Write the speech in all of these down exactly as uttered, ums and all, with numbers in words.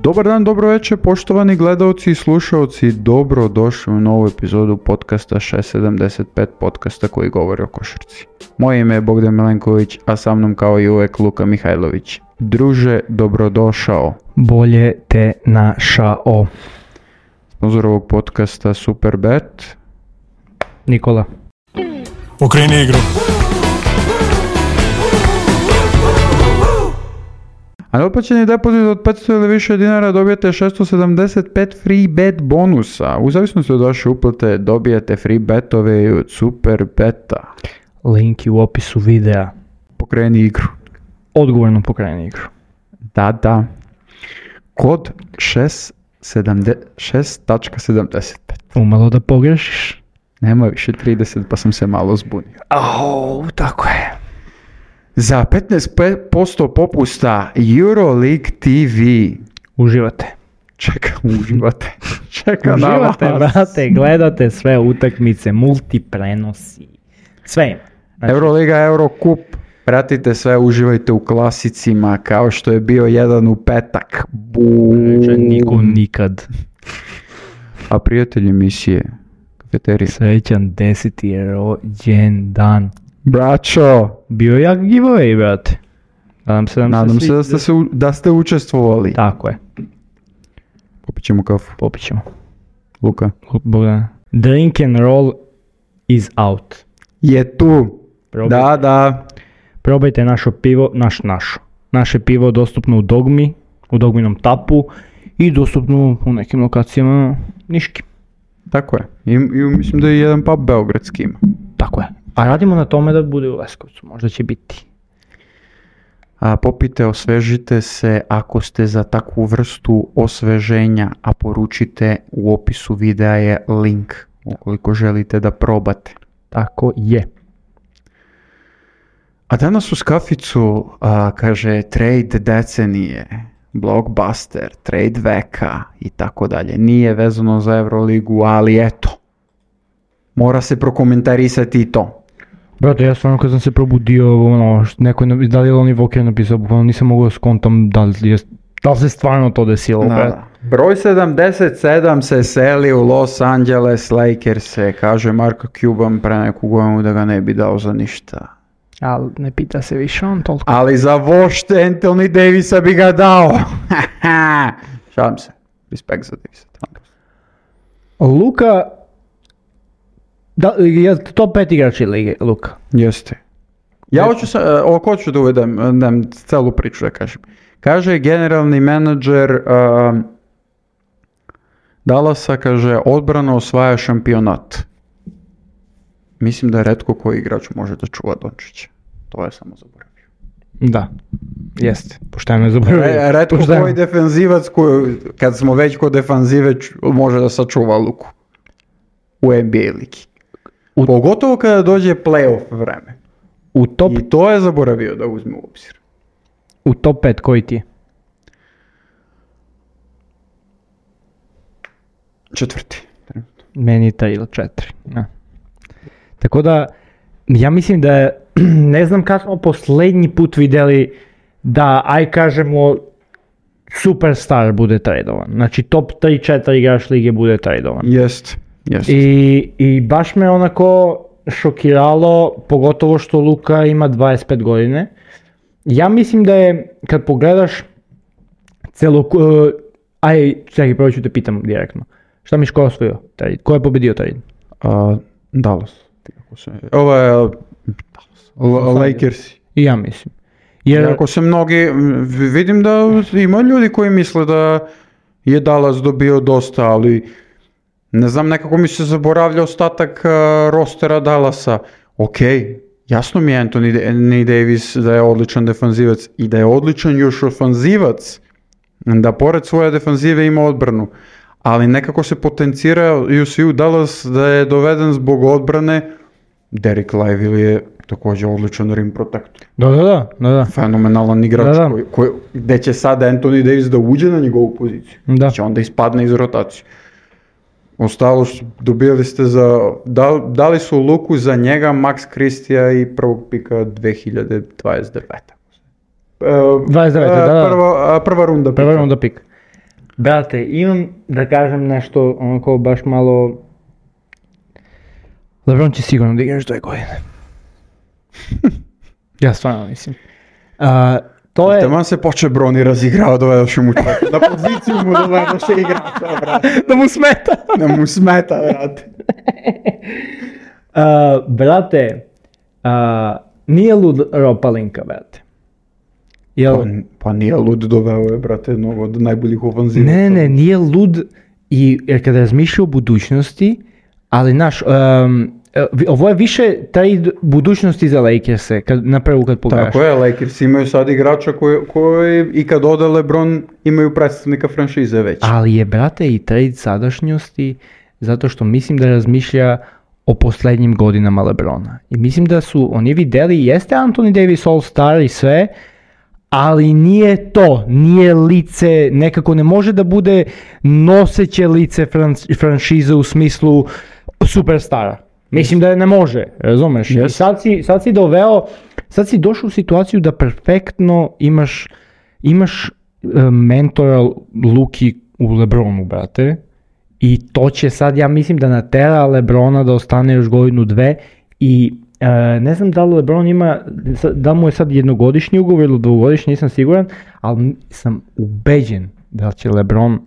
Dobar dan, dobro večer, poštovani gledalci i slušalci, dobro došli u novu epizodu podcasta šest sedamdeset pet, podcasta koji govori o košarci. Moje ime je Bogdan Milenković, a sa mnom kao i uvek Luka Mihajlović. Druže, dobrodošao. Bolje te našao. Sponzor ovog podcasta Superbet. Nikola. Okreni igru. A neotplaćeni depozit od petsto ili više dinara dobijete šesto sedamdeset pet free bet bonusa. U zavisnosti od vaše uplate dobijete free betove i od Superbeta. Link je u opisu videa. Pokreni igru. Odgovorno pokreni igru. Da, da. Kod šest sedamdeset pet. Umalo da pogrešiš. Nema više trideset pa sam se malo zbunio. Au, tako je. Za petnaest posto popusta Euroleague T V. Uživate. Čeka, uživate. Čeka na vas. Uživate, brate, gledate sve utakmice, multiprenosi. Sve ima. Znači, Euroliga, Eurocup. Pratite sve, uživajte u klasicima kao što je bio jedan u petak. Buuu. Niko nikad. A prijatelji emisije, kafeterije. Srećan deseti rođendan. Braćo. Bio je jak giveaway, brate. Nadam se, Nadam se, se da ste, se, da ste učestvovali. Tako je. Popit ćemo kafu. Popit ćemo. Luka. Bogdan. Drink and roll is out. Je tu. Probajte. Da, da. Probajte naše pivo, naš, našo. Naše pivo dostupno u Dogmi, u Dogminom tapu i dostupno u nekim lokacijama Niški. Tako je. I, i mislim da je jedan pub beogradski ima. Tako je. A radimo na tome da bude u Leskovcu, možda će biti. A, popite, osvežite se ako ste za takvu vrstu osveženja, a poručite u opisu videa je link ukoliko želite da probate. Tako je. A danas uz kaficu a, kaže trade decenije, blockbuster, trade veka i tako dalje. Nije vezano za Euroligu, ali eto, mora se prokomentarisati i to. Brate, ja stvarno kad sam se probudio, ono, neko je, da li je Lonnie Walker napisao, bukvalno nisam mogao da skontam da li, je, da li se stvarno to desilo. Da, da. Broj sedamdeset sedam se seli u Los Angeles Lakers-e, kaže Marko Cuban pre neku godinu da ga ne bi dao za ništa. Ali ne pita se više on toliko. Ali za vošte Anthony Davisa bi ga dao. Šalim se. Respekt za Davisa. Luka, da, je top pet igrači lige, Luka? Jeste. Ja hoću, sa, o, hoću da uvedem da, celu priču da kažem. Kaže generalni menadžer uh, Dallasa, kaže, odbrana osvaja šampionat. Mislim da je retko koji igrač može da čuva Dončića. To je samo zaboravio. Da, jeste. Pošteno je zaboravio. Re, retko Pošteno. Koji defenzivac, koji, kad smo već kod defenzive, može da sačuva Luku u N B A ligi. U, Pogotovo kada dođe playoff vreme. U top, I to je zaboravio da uzme u obzir. U top pet koji ti je? Četvrti. Meni je taj ili četiri. Ja. Tako da, ja mislim da, ne znam kada smo posljednji put vidjeli da, aj kažemo, superstar bude tradovan. Znači top tri četiri igrač lige bude tradovan. Jest, jest. I, I baš me onako šokiralo, pogotovo što Luka ima dvadeset pet godine. Ja mislim da je, kad pogledaš celo, uh, aj, čekaj, prvo ću te pitam direktno. Šta mi Ško osvojio? Ko je pobedio trade? Uh, Dallas. Ovo je Dallas. Lakers. I ja mislim. Jer... Ako se mnogi, vidim da ima ljudi koji misle da je Dallas dobio dosta, ali ne znam, nekako mi se zaboravlja ostatak uh, rostera Dallasa. Ok, jasno mi je Anthony Davis da je odličan defanzivac i da je odličan još ofanzivac, da pored svoje defanzive ima odbranu. Ali nekako se potenciraju svi u Dallas da je doveden zbog odbrane. Derek Lively je također odličan rim protector. Da, da, da. da. Fenomenalan igrač da, da. Koji, koji, gde će sada Anthony Davis da uđe na njegovu poziciju. Da. Će onda ispadne iz rotacije. Ostalo dobili ste za, da, dali su Luku za njega, Max Christija i prvog pika dve hiljade dvadeset devete. dvadeset devete, da, da. Prva, prva runda pika. Prva runda pika. Brate, imam da kažem nešto onako baš malo... LeBron će sigurno da igra još dve godine. Ja stvarno mislim. Uh, to je... Taman se poče Broni razigrao, dovedoš mu čovjek. Na poziciju mu dovedoš igrača, brate. Da mu smeta. Da mu smeta, brate. uh, brate, uh, nije lud Rob Pelinka, brate. Jel... Pa, pa nije lud, doveo je, brate, jednog od najboljih ofanziva. Ne, ne, nije lud, i, jer kada razmišlja o budućnosti, ali naš, um, ovo je više taj budućnosti za Lakers-e, kad, na prvu kad pogledaš. Tako je, Lakers imaju sad igrača koji, koji i kad ode LeBron imaju predstavnika franšize već. Ali je, brate, i trade sadašnjosti, zato što mislim da razmišlja o posljednjim godinama LeBrona. I mislim da su oni vidjeli, jeste Anthony Davis All-Star i sve, ali nije to, nije lice, nekako ne može da bude noseće lice fran- franšize u smislu superstara. Mislim da ne može, razumeš? Yes. I sad si, sad si doveo, sad si došao u situaciju da perfektno imaš, imaš uh, mentora Luki u LeBronu, brate. I to će sad, ja mislim da natera LeBrona da ostane još godinu dve i uh, ne znam da li LeBron ima, da mu je sad jednogodišnji ugovor ili dvogodišnji, nisam siguran, ali sam ubeđen da će LeBron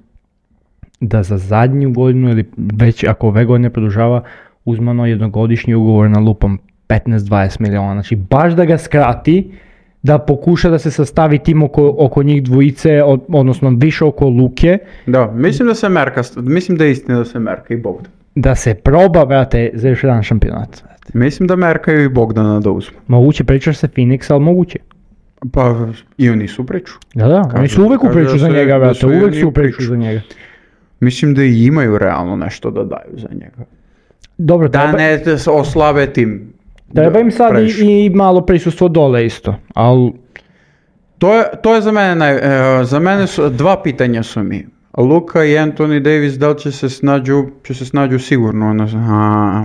da za zadnju godinu ili već ako ove godine produžava uzmano jednogodišnji ugovor na lupam petnaest do dvadeset miliona, znači baš da ga skrati, da pokuša da se sastavi tim oko, oko njih dvojice, od, odnosno više oko Luke. Da, mislim da se merka, mislim da je istina da se merka i Bogdan. Da se proba, brate, za još jedan šampionat. Mislim da merkaju i Bogdana da uzmu. Moguće, pričaš se Phoenix, ali moguće. Pa i oni su priču. Da, da, Kažu, oni su uvek u kažu priču da za su- njega, da brate, su i uvek oni su u u priču priču. za njega. Mislim da i imaju realno nešto da daju za njega. Dobro, Da treba, ne te oslabe tim. treba im sad previše. i, i malo prisustvo dole isto, ali To je, to je za mene, naj, e, za mene su, dva pitanja su mi. Luka i Anthony Davis, da li će se snađu, će se snađu sigurno ono, a,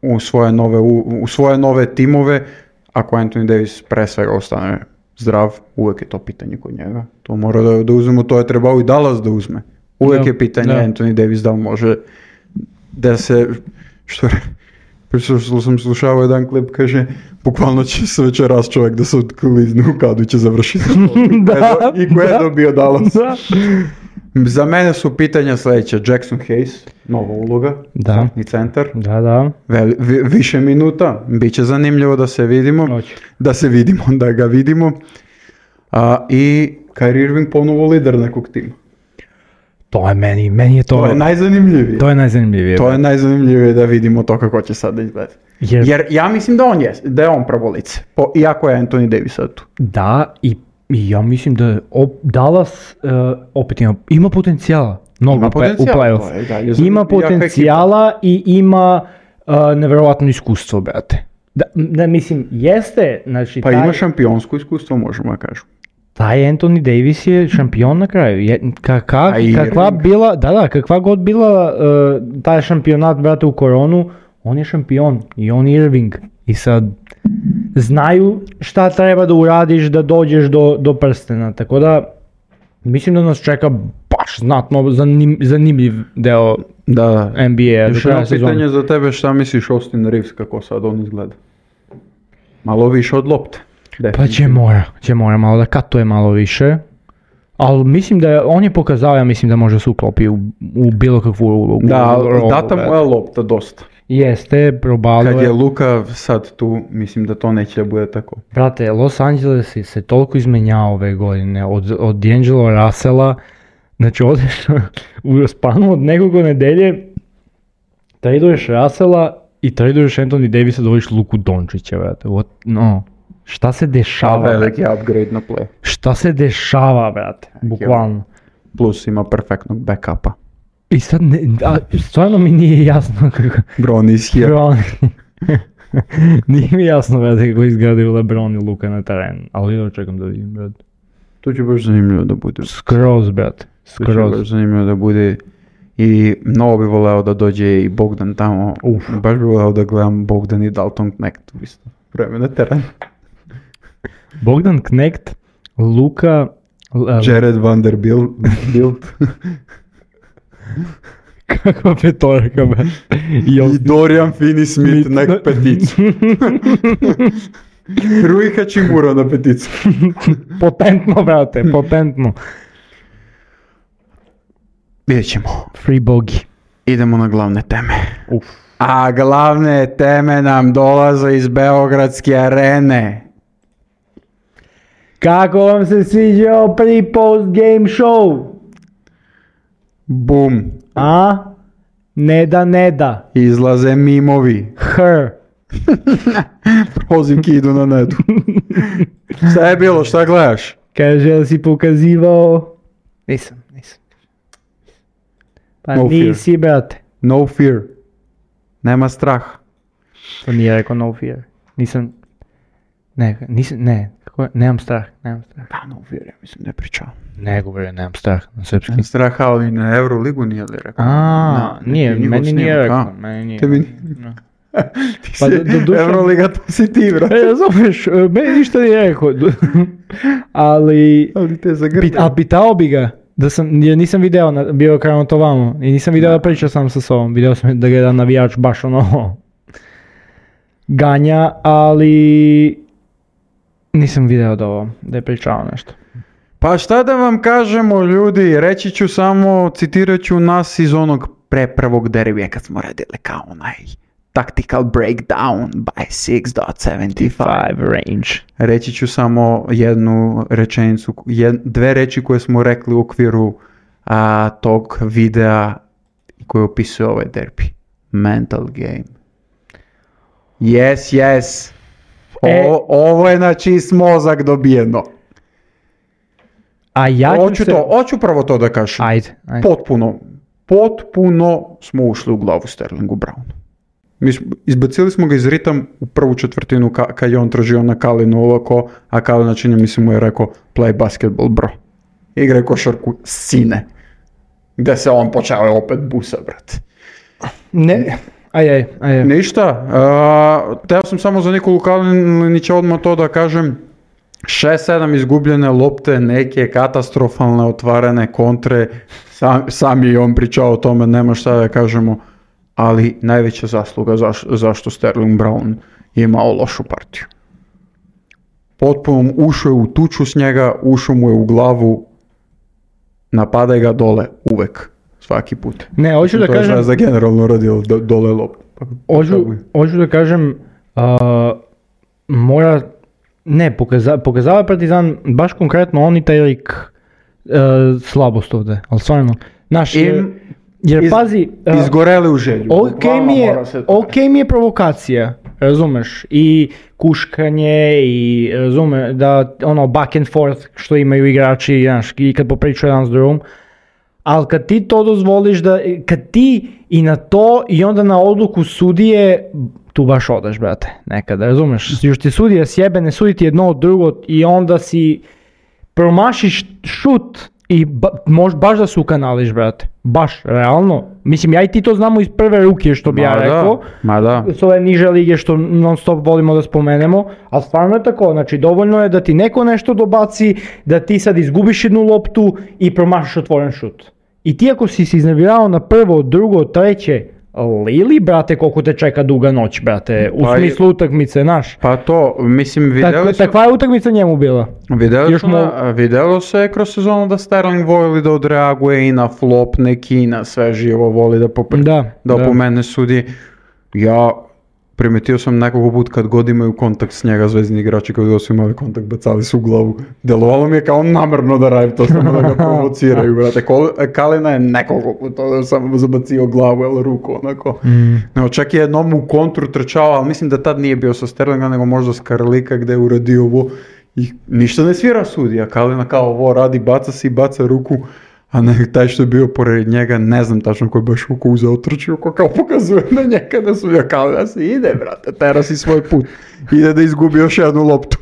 u, svoje nove, u, u svoje nove timove, ako Anthony Davis pre svega ostane zdrav, uvek je to pitanje kod njega. To mora da, da uzmemo, to je trebao i Dallas da uzme. Uvek Da, je pitanje da. Anthony Davis da li može da se, što je, Pričao sam slušao jedan klip, kaže, bukvalno će se večeras čovjek da se otklizne u kadu i će završiti. Da, I ko je da. dobio Dallas. Da. Za mene su pitanja sljedeće. Jackson Hayes, nova uloga, Da. i centar, Da, da. veli- vi- više minuta, bit će zanimljivo da se vidimo, Hoće. da se vidimo, da ga vidimo. A, I Kyrie Irving ponovo lider nekog tima. To je meni, meni je to, To je najzanimljivije. to je najzanimljivije. To je najzanimljivije da vidimo to kako će sad izgledati. Jer- Jer ja mislim da on je, da je on pravo lice, po, iako je Anthony Davis sad tu. Da, i, i ja mislim da op, Dallas uh, opet ima, ima potencijala. Mnogo Ima u play- potencijala, u playoff. to je i dalje za- Ima jaka potencijala i ima uh, nevjerovatno iskustvo, brate. Da, da, mislim, jeste, znači, Pa taj, ima šampionsko iskustvo, možemo da kažemo. taj Anthony Davis je šampion na kraju. Je, ka, ka, A i kakva Irving. bila, da, da, kakva god bila uh, taj šampionat, brate, u koronu, on je šampion i on je Irving. I sad, znaju šta treba da uradiš da dođeš do, do prstena, tako da mislim da nas čeka baš znatno zanim, zanimljiv deo Da, N B A-a do još kraja jedno sezone. pitanje za tebe, šta misliš Austin Reeves, kako sad on izgleda? Malo više od lopte. Pa će mora, će mora malo da katuje malo više, ali mislim da je, on je pokazao, ja mislim da može se uklopi u, u bilo kakvu ulogu. Da, rolu, data mu brate. je lopta dosta. Jeste, probalio Kad je je. Luka sad tu, mislim da to neće da bude tako. Brate, Los Angeles je se toliko izmenjao ove godine, od, od D'Angelo Russella, znači odeš u spanu od nekoliko nedelje, traduješ Russella i traduješ Anthony Davisa, dovojiš Luku Dončića, brate, what, no, šta se A dešava, brate? veliki upgrade na play. Šta se dešava, brate, bukvalno. Plus ima perfektnog backupa. I sad, ne, a, stvarno mi nije jasno kako, Bron is here. LeBron, nije mi jasno, brate, kako izgledaju LeBron i Luka na terenu, ali ja čekam da vidim, brate. To će baš zanimljivo da bude. Skroz, brate, To će baš skroz. zanimljivo da bude. I mnogo bi voleo da dođe i Bogdan tamo. Uf. Baš bi voleo da gledam Bogdan i Dalton Knecht u isto vreme na terenu. Bogdan Knecht, Luka Jared Vanderbilt. Bilt. Kakva petorka, be. I Dorian Finney-Smith na peticu. Rui Hachimura na peticu. Potentno, brate, potentno. Vidjet ćemo. Free bogi. Idemo na glavne teme. Uf. A glavne teme nam dolaze iz Beogradske arene. Kako vam se sviđao pre-post game show? Bum. A? Ne da, ne da. Izlaze mimovi. Her. Prozivki idu na netu. Šta je bilo, šta gledaš? Kaže, li si pokazivao? Nisam, nisam. Pa No nisi, brate. No fear. Nema straha. To nije rekao no fear. Nisam... Ne, nisam, ne. Kako je? Nemam strah, nemam strah. Pa no fear, ja mislim ne pričao. Ne govorio, nemam strah na srpski. Nema straha, ali na Euroligu nije li rekao? A, nije, meni nije rekao. Meni nije. Tebi No. Ti Pa si do- do duše- Euroliga, to si ti, brate. E, razumeš, meni ništa nije rekao. Ali... Ali te Pit, zagrtao. a pitao bi ga, da sam, jer nisam video, na, bio krenuo to vamo, i nisam video da priča sam sa sobom, video sam da ga jedan navijač baš ono ganja, ali nisam video da ovo, da je pričao nešto. Pa šta da vam kažemo, ljudi, reći ću samo, citirat ću nas iz onog pre prvog derbija kad smo radili kao onaj tactical breakdown by six point seventy-five. range. Reći ću samo jednu rečenicu, jed, dve reči koje smo rekli u okviru a, tog videa koji opisuje ovaj derbi. Mental game. Yes, yes. O, E- ovo je na čist mozak dobijeno. A ja ću Hoću se... to, hoću prvo to da kažem. Ajde, ajde. Potpuno, potpuno smo ušli u glavu Sterlingu Brownu. Mi smo, izbacili smo ga iz ritam u prvu četvrtinu ka, kad je on tražio na Kalinu ovako, a Kalina čini mi se mu je rekao play basketball bro. Igraj košarku sine. Gde se on počeo opet busa, brate. Ne, aj, aj, aj. Ništa, uh, teo sam samo za Nikolu Kalinića odmah to da kažem. šest sedam izgubljene lopte, neke katastrofalne otvarane kontre, sam, sam je i on pričao o tome, nema šta da kažemo, ali najveća zasluga zaš, zašto Sterling Brown je imao lošu partiju. Potpuno ušao je u tuču s njega, ušao mu je u glavu, napadaj ga dole uvek, svaki put. Ne, hoću da To je kažem... Zvezda generalno radio do, dole loptu. Pa- Hoću, hoću da kažem, uh, mora, ne, pokaza, pokazava je Partizan baš konkretno on i taj lik uh, slabost ovde, ali stvarno, znaš, jer, Im- jer iz- pazi, uh, Izgoreli u želju. ok Bukvalno mi je, mora se to ok mi je provokacija, razumeš, i kuškanje i razume, da ono back and forth što imaju igrači, znaš, i kad popričaju jedan s drugom, ali kad ti to dozvoliš da, kad ti i na to i onda na odluku sudije, tu baš odeš, brate, nekada, razumeš, još ti sudija sjebe, ne sudi ti jedno od drugo i onda si promašiš šut i ba, mož baš da se ukanališ, brate, baš, realno, mislim, ja i ti to znamo iz prve ruke, što bi Ma ja da, rekao, ma da. s ove niže lige što non stop volimo da spomenemo, ali stvarno je tako, znači dovoljno je da ti neko nešto dobaci, da ti sad izgubiš jednu loptu i promašiš otvoren šut. I ti ako si se iznervirao na prvo, drugo, treće, Lili, brate, koliko te čeka duga noć, brate, u Pa i- smislu utakmice, znaš. Pa to, mislim, videli Tako, su, takva je utakmica njemu bila. videli još su na- videlo se kroz sezonu da Sterling voli da odreaguje i na flop neki, i na sve živo voli da, popre, Da, da da. opomene sudi. Ja primetio sam nekoliko put kad god imaju kontakt s njega, zvezdni igrači kad god su imali kontakt, bacali su u glavu. Delovalo mi je kao namerno da radi to, samo da ga provociraju, brate. Kol- Kalina je nekoliko puta samo zabacio glavu, ili ruku, onako. No, čak je jednom u kontru trčao, ali mislim da tad nije bio sa Sterlinga, nego možda s Karlika gde je uradio ovo i ništa ne svira sudija. Kalina kao ovo radi, baca si, baca ruku, a ne, taj što je bio pored njega, ne znam tačno ko je baš ruku uzeo, trčio, ko kao pokazuje na njega da sudija. Kalina se ide, brate, tera si svoj put. Ide da izgubi još jednu loptu.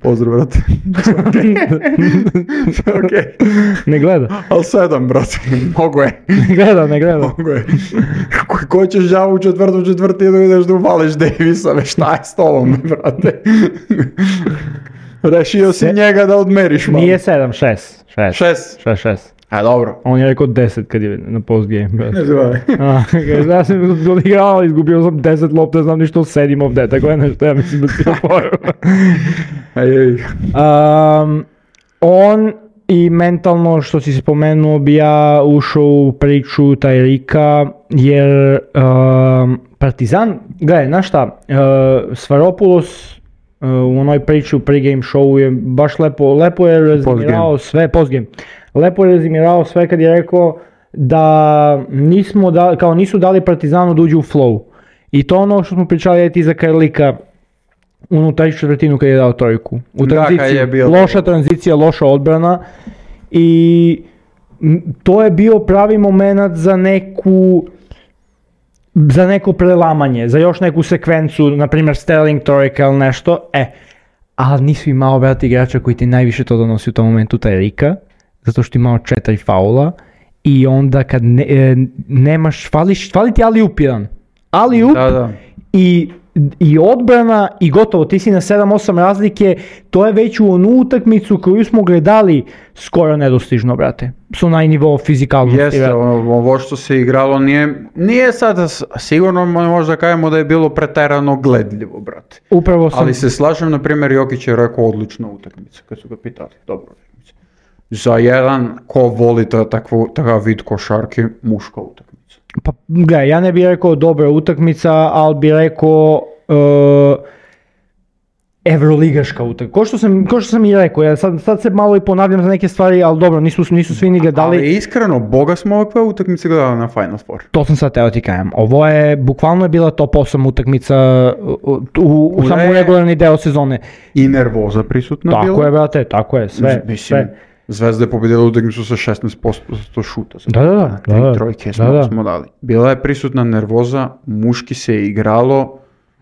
Pozdrav, brate. Okej. Ne gleda, Ali sedam, brate, mogo je. ne gleda, ne gleda. Mogo je. Ko, ko ćeš đavo u četvrtu četvrtinu ideš da uvališ Davisa, već šta je s tobom, brate? Rešio si Se- njega da odmeriš malo. Nije sedam, šest. šest. Šest. šest, šest. A dobro. On je rekao deset kad je na postgame. brate. Ne zvaj. A, kaže, ja sam odigrao, izgubio sam deset lopta, znam ništa o sedim ovdje, tako je nešto, ja mislim da ti je poru. um, on i mentalno, što si spomenuo, bi ja ušao u priču Tyreka, jer um, Partizan, gledaj, znaš šta, uh, Svaropoulos uh, u onoj priči u pregame showu je baš lepo, lepo je rezimirao sve, postgame, lepo je rezimirao sve kad je rekao da nismo da, kao nisu dali Partizanu da uđu u flow. I to ono što smo pričali je ti za Karlika unutar četvrtinu kad je dao trojku. U Da, kad tranziciji, je bio- loša tranzicija, loša odbrana i m, to je bio pravi moment za neku za neko prelamanje, za još neku sekvencu, na primjer Sterling trojka ili nešto, e, ali nisu imao, brati, igrača koji ti najviše to donosi u tom momentu, Tyreka, zato što imao četiri faula i onda kad ne, e, nemaš, fališ, fali ti alley-oop jedan, alley-oop Da, da. i, i odbrana i gotovo, ti si na sedam osam razlike, to je već u onu utakmicu koju smo gledali skoro nedostižno, brate, s onaj nivo fizikalnosti. Jeste, brate. ovo ovo što se igralo nije, nije sada, s- sigurno možda kažemo da je bilo preterano gledljivo, brate. Upravo sam... Ali se slažem, na primjer, Jokić je rekao odlična utakmica, kad su ga pitali, dobro utakmica. Za jedan ko voli ta, takvu, takav vid košarke, muška utakmica. Pa gledaj, ja ne bih rekao dobra utakmica, ali bih rekao uh, Evroligaška utakmica. Ko što sam, ko što sam i rekao, ja sad, sad se malo i ponavljam za neke stvari, ali dobro, nisu, nisu svi ni gledali. Ali iskreno, boga smo ovakve utakmice gledali na Final Four. To sam sad teo ti kajem. Ovo je, bukvalno je bila top osam utakmica u, u, u, u Ure- samo regularni deo sezone. I nervoza prisutna bila. Tako je, brate, tako je, sve, Mislim, sve. Zvezda je pobjedila utakmicu sa šesnaest posto šuta. Da, da, da, Tri da, da. trojke smo, Da, da. smo dali. Bila je prisutna nervoza, muški se je igralo.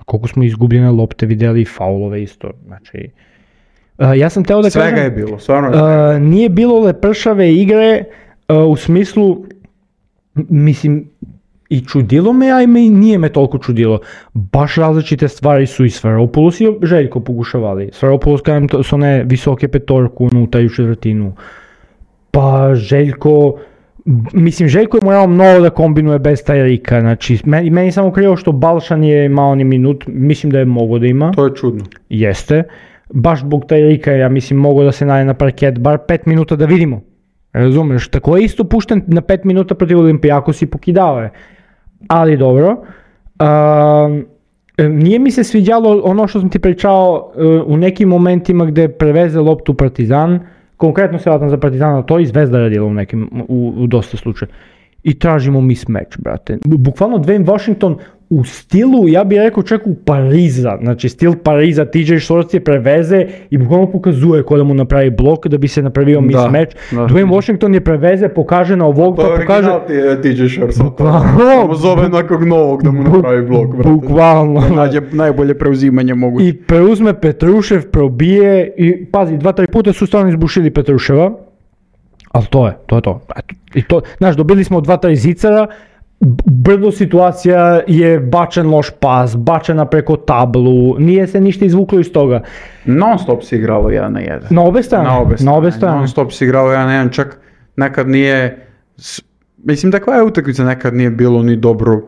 Koliko smo izgubljene lopte vidjeli i faulove isto, znači... Uh, ja sam teo da Svega kažem... je bilo, stvarno. je. Uh, nije bilo lepršave igre uh, u smislu, m- mislim, i čudilo me, a i me nije me toliko čudilo. Baš različite stvari su i Svaropoulos i Željko pokušavali. Svaropoulos, kažem, to su one visoke petorku unutar u četvrtinu. Pa Željko, mislim, Željko je morao mnogo da kombinuje bez Tyreka, znači, meni, meni samo krivo što Balšan je imao ni minut, mislim da je mogao da ima. To je čudno. Jeste. Baš zbog Tyreka, ja mislim, mogo da se naje na parket bar pet minuta da vidimo. Razumeš? Tako je isto pušten na pet minuta protiv Olimpijakos i pokidao je. Ali dobro. Um, nije mi se sviđalo ono što sam ti pričao uh, u nekim momentima gdje preveze loptu Partizan, konkretno se vatam za Partizana, to i Zvezda radila u nekim, u, u dosta slučaja. I tražimo mismatch, brate. Bukvalno Dwayne Washington u stilu, ja bih rekao čak u Pariza, znači stil Pariza, T J Shorts je preveze i bukvalno pokazuje ko da mu napravi blok da bi se napravio Da, mismatch. da. Dwayne Washington je preveze, pokaže na ovog, To pa je pokaže... original T J Shorts. Bukvalno. Samo zove nekog novog da mu napravi blok, brate. Bukvalno. Da nađe najbolje preuzimanje moguće. I preuzme Petrušev, probije i pazi, dva, tri puta su stvarno izbušili Petruševa. Ali to je, to je to. Eto, i to, znaš, dobili smo dva, tri zicara, b- brdo situacija je bačen loš pas, bačena preko tablu, nije se ništa izvuklo iz toga. Non stop se igralo jedan na jedan. Na obe strane, Na obe strane. na obe strane. Non stop se igralo jedan na jedan, čak nekad nije, s- mislim takva je utakmica, nekad nije bilo ni dobro,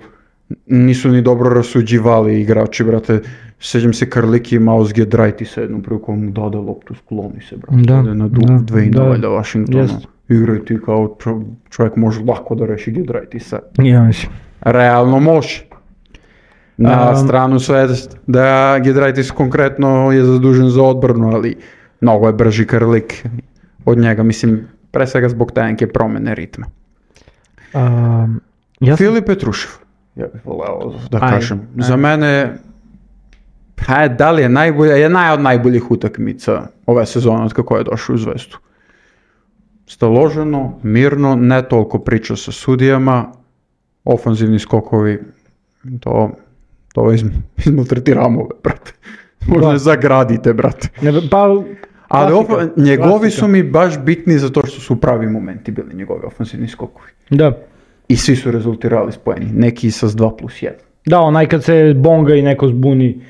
nisu ni dobro rasuđivali igrači, brate. Sjećam se Karliki imao zgedrajti se jednom prilikom mu dade loptu, skloni se, brate. Da, Ode na du, da, dve i da. nula Washingtona. Jest. Igraju ti kao čo- čovjek može lako da reši gedrajti se. Ja mislim. Realno može. Na Um, stranu sve da Giedraitis konkretno je zadužen za odbranu, ali mnogo je brži Karlik od njega, mislim, pre svega zbog te neke promjene ritma. Um, ja sam, Filip Petrušev, ja bih voleo da Aj, kažem. aj. Za mene, ha, da li je najbolja, je naj od najboljih utakmica ove sezone od kako je došao u Zvezdu. Staloženo, mirno, ne toliko priča sa sudijama, ofanzivni skokovi, to, to izm, izmaltretiramo, brate. Možda Da. zagradite, brate. ne, pa, Ali klasika, ofa- njegovi klasika. su mi baš bitni zato što su pravi momenti bili njegovi ofanzivni skokovi. Da. I svi su rezultirali s poeni, neki sa dva plus jedan. Da, onaj kad se bonga i neko zbuni.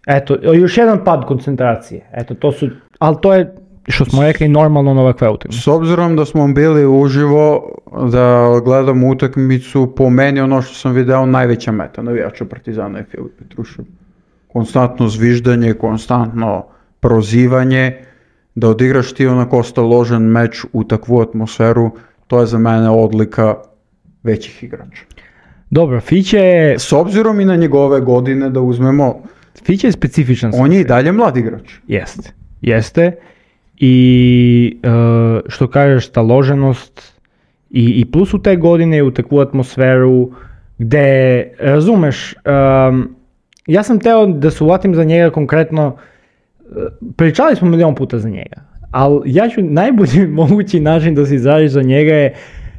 Eto, još jedan pad koncentracije. Eto, to su, ali to je, što smo rekli, normalno na ovakve utakmice. S obzirom da smo bili uživo, da gledamo utakmicu, po meni ono što sam video najveća meta navijača Partizana je Filip Petrušev. Konstantno zviždanje, konstantno prozivanje, da odigraš ti onako staložen meč u takvu atmosferu, to je za mene odlika većih igrača. Dobro, Fiće je... S obzirom i na njegove godine da uzmemo, Fiće je specifičan. on je i dalje mlad igrač. Jeste, jeste. I uh, što kažeš, staloženost i, i plus u te godine u takvu atmosferu gde, razumeš, um, ja sam teo da se uvatim za njega konkretno, pričali smo milion puta za njega, ali ja ću najbolji mogući način da se izraziš za njega je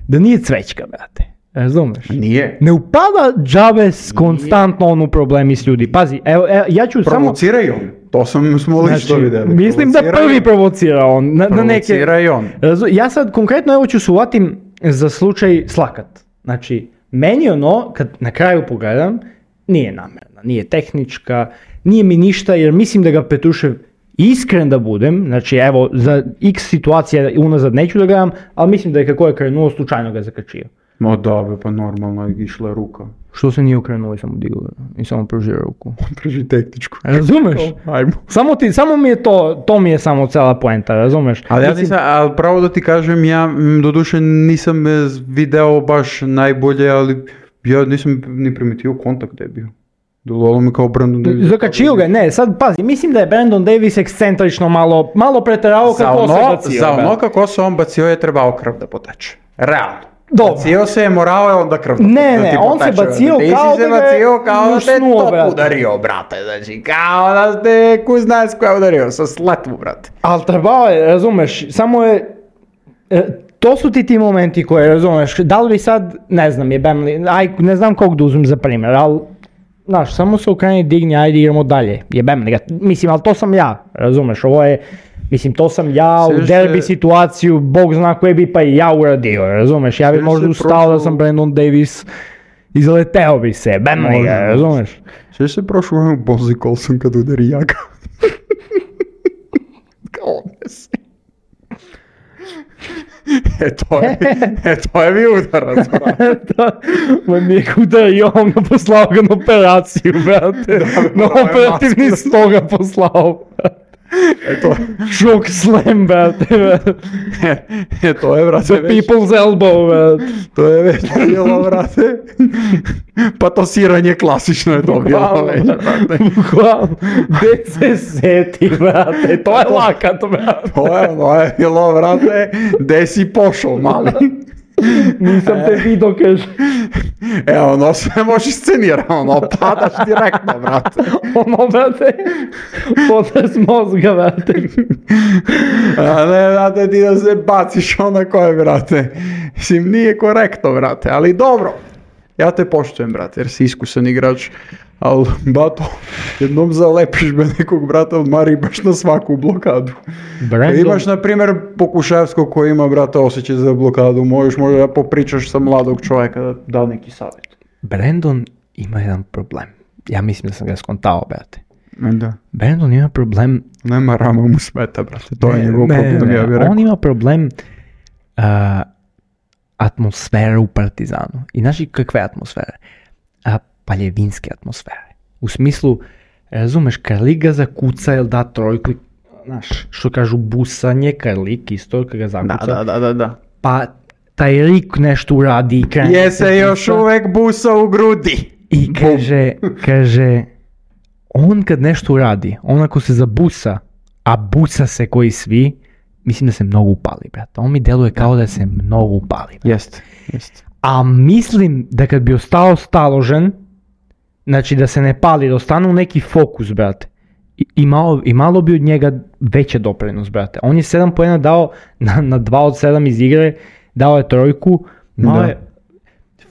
da nije cvećka, brate. Razumeš? Nije. Ne upada džabe s konstantno on u problemi s ljudi. Pazi, evo, evo ja ću samo... Provocira on. To sam, smo lično Znači, vidjeli. mislim da Provocira prvi on. provocira on. Na, na neke... Provocira i on. Razu- Ja sad konkretno evo ću se uvatim za slučaj Slakat. Znači, meni ono, kad na kraju pogledam, nije namerna, nije tehnička, nije mi ništa, jer mislim da ga Petrušev, iskren da budem, znači evo, za x situacija unazad neću da gledam, ali mislim da je kako je krenuo, slučajno ga zakačio. Ma da, be, pa normalno je išla ruka. Što se nije okrenuo i samo digao i samo pružio ruku. Drži tehničku. Razumeš? Ajmo. Samo, ti, samo mi je to, to mi je samo cela poenta, razumeš? Ali ja Mislim- nisam, ali pravo da ti kažem, ja m, doduše nisam e, video baš najbolje, ali ja nisam ni primetio kontakt da je bio. Delovalo mi kao Brandon Davis. Zakačio ga, ne, sad pazi, mislim da je Brandon Davis ekscentrično malo, malo preterao Za kako se ono, bacio. za brate. ono kako se on bacio je trebao krv da poteče. Realno. Dobro. Bacio se je, morao je onda krv da Ne, da ne, ti on se poteče, bacio brate. Ti kao si se da ga je bacio kao da te ljušnuo, top brate. udario, brate. Znači, kao da te kuznac koja je udario sa sletvu, brate. Ali trebao je, razumeš, samo je, e, to su ti ti momenti koje, razumeš, da li bi sad, ne znam, jebem li, aj, ne znam kog da uzmem za primjer, ali, znaš, samo se okreni, digni, ajde idemo dalje, jebem li ga, mislim, ali to sam ja, razumeš, ovo je, mislim, to sam ja u Sjećaš derbi se- situaciju, bog zna koje bi pa i ja uradio, razumeš, ja bi Sjećaš možda se ustao da prošlo- sam Brandon Davis, izleteo bi se, jebem li ga, Možda. razumeš. Sjećaš se prošlo vreme Bozi Colson kad udari Jaga? Kao ne se. E to je, e to je bio udarac, brate. Ma nije ga udario, on ga poslao ga na operaciju, brate. Na morao je operativni masku. sto ga poslao, brate. E to, Šok slam, brate. brate. e, e to je, brate, već, People's elbow, brate. to je već bilo, brate. Patosiranje klasično je to bilo Bukvalno, već, brate. Bukvalno. Gde se seti, brate. To je lakat, brate. To je ono je bilo, brate, gde si pošao, mali. Nisam te vidio, kaže. E, ono se može scenira, ono, padaš direktno, brate. Ono, brate. Potres mozga, brate. A ne, brate, ti da se baciš onako je, brate. Mislim, nije korektno, brate, ali dobro. Ja te poštujem, brate, jer si iskusan igrač. Ali, bato, jednom zalepiš me nekog brata, odmari baš na svaku blokadu. Brandon, Imaš, na primjer, Pokuševskog koji ima, brate, osjećaj za blokadu. Možeš možda da popričaš sa mladog čovjeka da da neki savjet. Brandon ima jedan problem. Ja mislim da sam ga skontao, brate. Da. Brandon ima problem... Nema rama mu smeta, brate. To je Ne, njegov ne, problem, ne, ja bih rekao. on ima problem uh, atmosfere u Partizanu. I znaš i kakve atmosfere? A, paljevinske atmosfere. U smislu, razumeš, Karlik ga zakuca, jel da trojku, i, znaš, što kažu busanje, Karlik isto, kad ga zakuca. Da, da, da, da, da. Pa taj Rik nešto uradi i krene Je se se još busa. uvek busa u grudi. I kaže, kaže, on kad nešto uradi, on ako se zabusa, a busa se koji svi, mislim da se mnogo upali, brate. On mi deluje kao da se mnogo upali. brate. Jeste, jeste. A mislim da kad bi ostao staložen, znači da se ne pali, da ostane u neki fokus, brate, i, i, malo, i malo bi od njega veće doprinos, brate. On je sedam poena dao na, na dva od sedam iz igre, dao je trojku, malo Da. je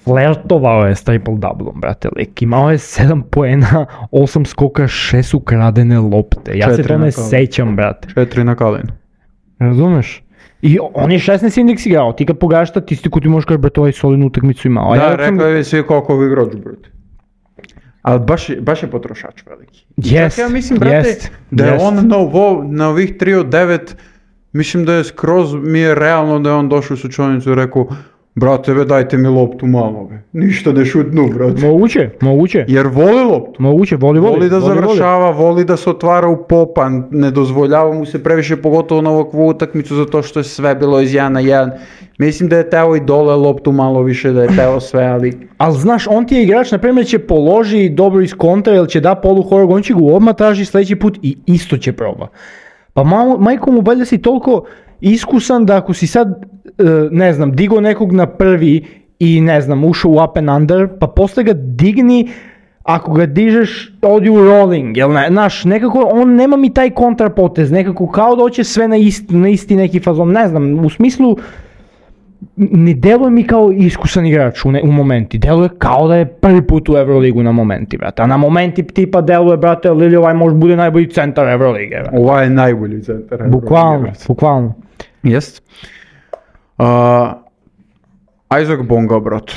flertovao je s triple-doublom, brate, lik. Imao je sedam poena, osam skoka, šest ukradene lopte. Ja se Četiri to na ne kalu. sećam, brate. Četiri na kalenu. Razumeš? I on je šesnaest indeks igrao, ti kad pogledaš statistiku ti možeš kaži, brate, ovaj solidnu utakmicu imao. A Da, ja sam- rekli bi svi koliko bi igrač, brate. Ali baš, je- baš je potrošač veliki. I Jest, čak ja mislim, brate, jest, da je jest. on na, ovo, na ovih tri od devet, mislim da je skroz mi je realno da je on došao u sučonicu i rekao, brate, ve, dajte mi loptu malo, be. Ništa ne šutnu, brate. Moguće, moguće. Jer voli loptu. Moguće, voli, voli. Voli da voli, završava, voli da se otvara u popa, ne dozvoljava mu se previše, pogotovo na ovakvu utakmicu, zato što je sve bilo iz jedan na jedan. Mislim da je teo i dole loptu malo više, da je teo sve, ali... Ali znaš, on ti je igrač, na primjer, će položi dobro iz kontra ili će da polu horog, on će ga odmah traži sljedeći put i isto će proba. Pa malo, majko mu, valjda si toliko iskusan da ako si sad, e, ne znam, digo nekog na prvi i ne znam, ušao u up and under, pa posle ga digni, ako ga dižeš, odi u rolling, jel ne, znaš, nekako, on nema mi taj kontrapotez, nekako kao da hoće sve na isti, na isti neki fazon, ne znam, u smislu, ne deluje mi kao iskusan igrač u, ne, u momenti, deluje kao da je prvi put u Euroligu na momenti, brate, a na momenti tipa deluje, brate, Lili, ovaj može bude najbolji centar Eurolige, brate. Ovaj je najbolji centar. Bukvalno, bukvalno. Jest. Uh, Isaac Bonga, brate.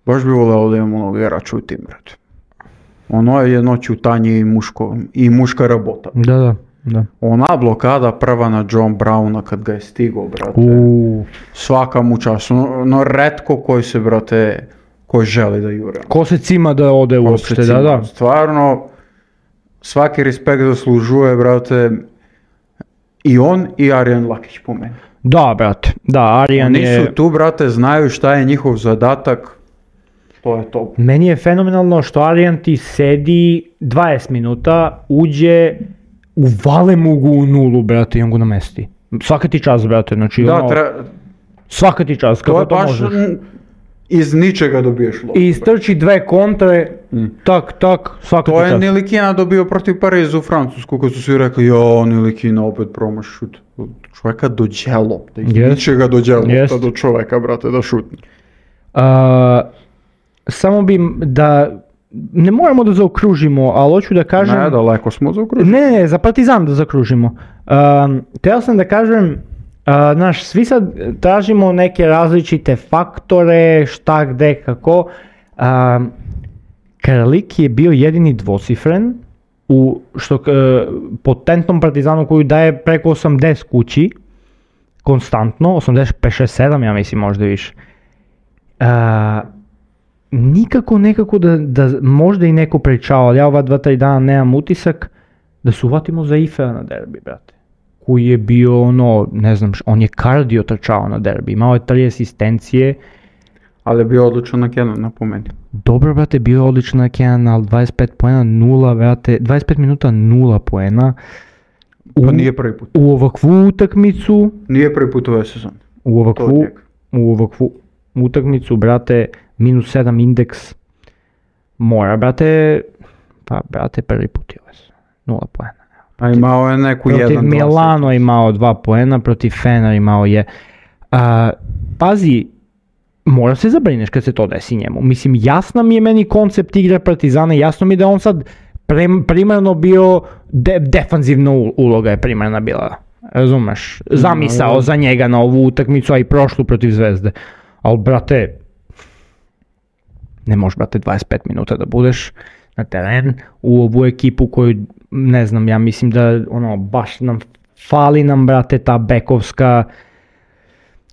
Baš bi voleo da imamo onog igrača u tim, brate. Ono je jedno čutanje i, muško, i muška rabota. Da, da, da. Ona blokada prva na John Browna kad ga je stigao, brate. Uuu. Svaka mu čast. No, no retko koji se, brate, koji želi da jure. Ko se cima da ode uopšte, da, Cima. da. Stvarno, svaki respekt zaslužuje, brate, i on i Arijan Lakić po meni. Da, brate, da, Arijan Oni je... su tu, brate, znaju šta je njihov zadatak, to je to. Meni je fenomenalno što Arijan ti sedi dvadeset minuta, uđe, uvale mu ga u nulu, brate, i on ga namesti. Svaka ti čast, brate, znači Da, ono, tre, svaka ti čast, to kako je to, baš možeš. m, iz ničega dobiješ loptu. I istrči dve kontre, Mm. tak, tak, svaka To ti je čast. Nilikina dobio protiv Pariza u Francusku, kad su svi rekli, jo, Nilikina opet promaš šut. Čovjeka dođe lopta, iz Jest. ničega dođe lopta Jest. do čovjeka, brate, da šutne. A, samo bi da, ne moramo da zaokružimo, ali hoću da kažem... Ne, daleko smo zaokružili. Ne, ne, ne, za Partizan da zakružimo. Um, Teo sam da kažem, uh, znaš, svi sad tražimo neke različite faktore, šta, gde, kako. Um, Krlik je bio jedini dvocifren u što, uh, potentnom Partizanu koju daje preko osamdeset kući, konstantno, osamdeset pet, šest, sedam, ja mislim možda više. Uh, nikako nekako da, da možda i neko pričao, ali ja ova dva, tri dana nemam utisak da se uvatimo za Ifea na derbi, brate. Koji je bio ono, ne znam, š- on je kardio trčao na derbi, imao je tri asistencije, Ali je bio odličan na Kenan, napomeni. dobro, brate, bio je odličan na Kenan, ali dvadeset pet poena, nula, brate, dvadeset pet minuta, nula poena. U, Pa nije prvi put. u ovakvu utakmicu, Nije prvi put ove sezone. u To od ovakvu, njega. u ovakvu utakmicu, brate, minus sedam indeks, mora, brate, pa, brate, prvi put je ovo, nula poena. A imao je neku Protiv jedan, dva Milano je imao dva poena, protiv Fener imao je. A, pazi, mora se zabrineš kad se to desi njemu. Mislim, jasno mi je meni koncept igre Partizana, jasno mi je da on sad prem, primarno bio, de, defanzivna ul- uloga je primarna bila. Razumeš? Zamisao No. za njega na ovu utakmicu, a i prošlu protiv Zvezde. Ali, brate, ne možeš, brate, dvadeset pet minuta da budeš na teren u ovu ekipu koju, ne znam, ja mislim da ono, baš nam fali nam, brate, ta bekovska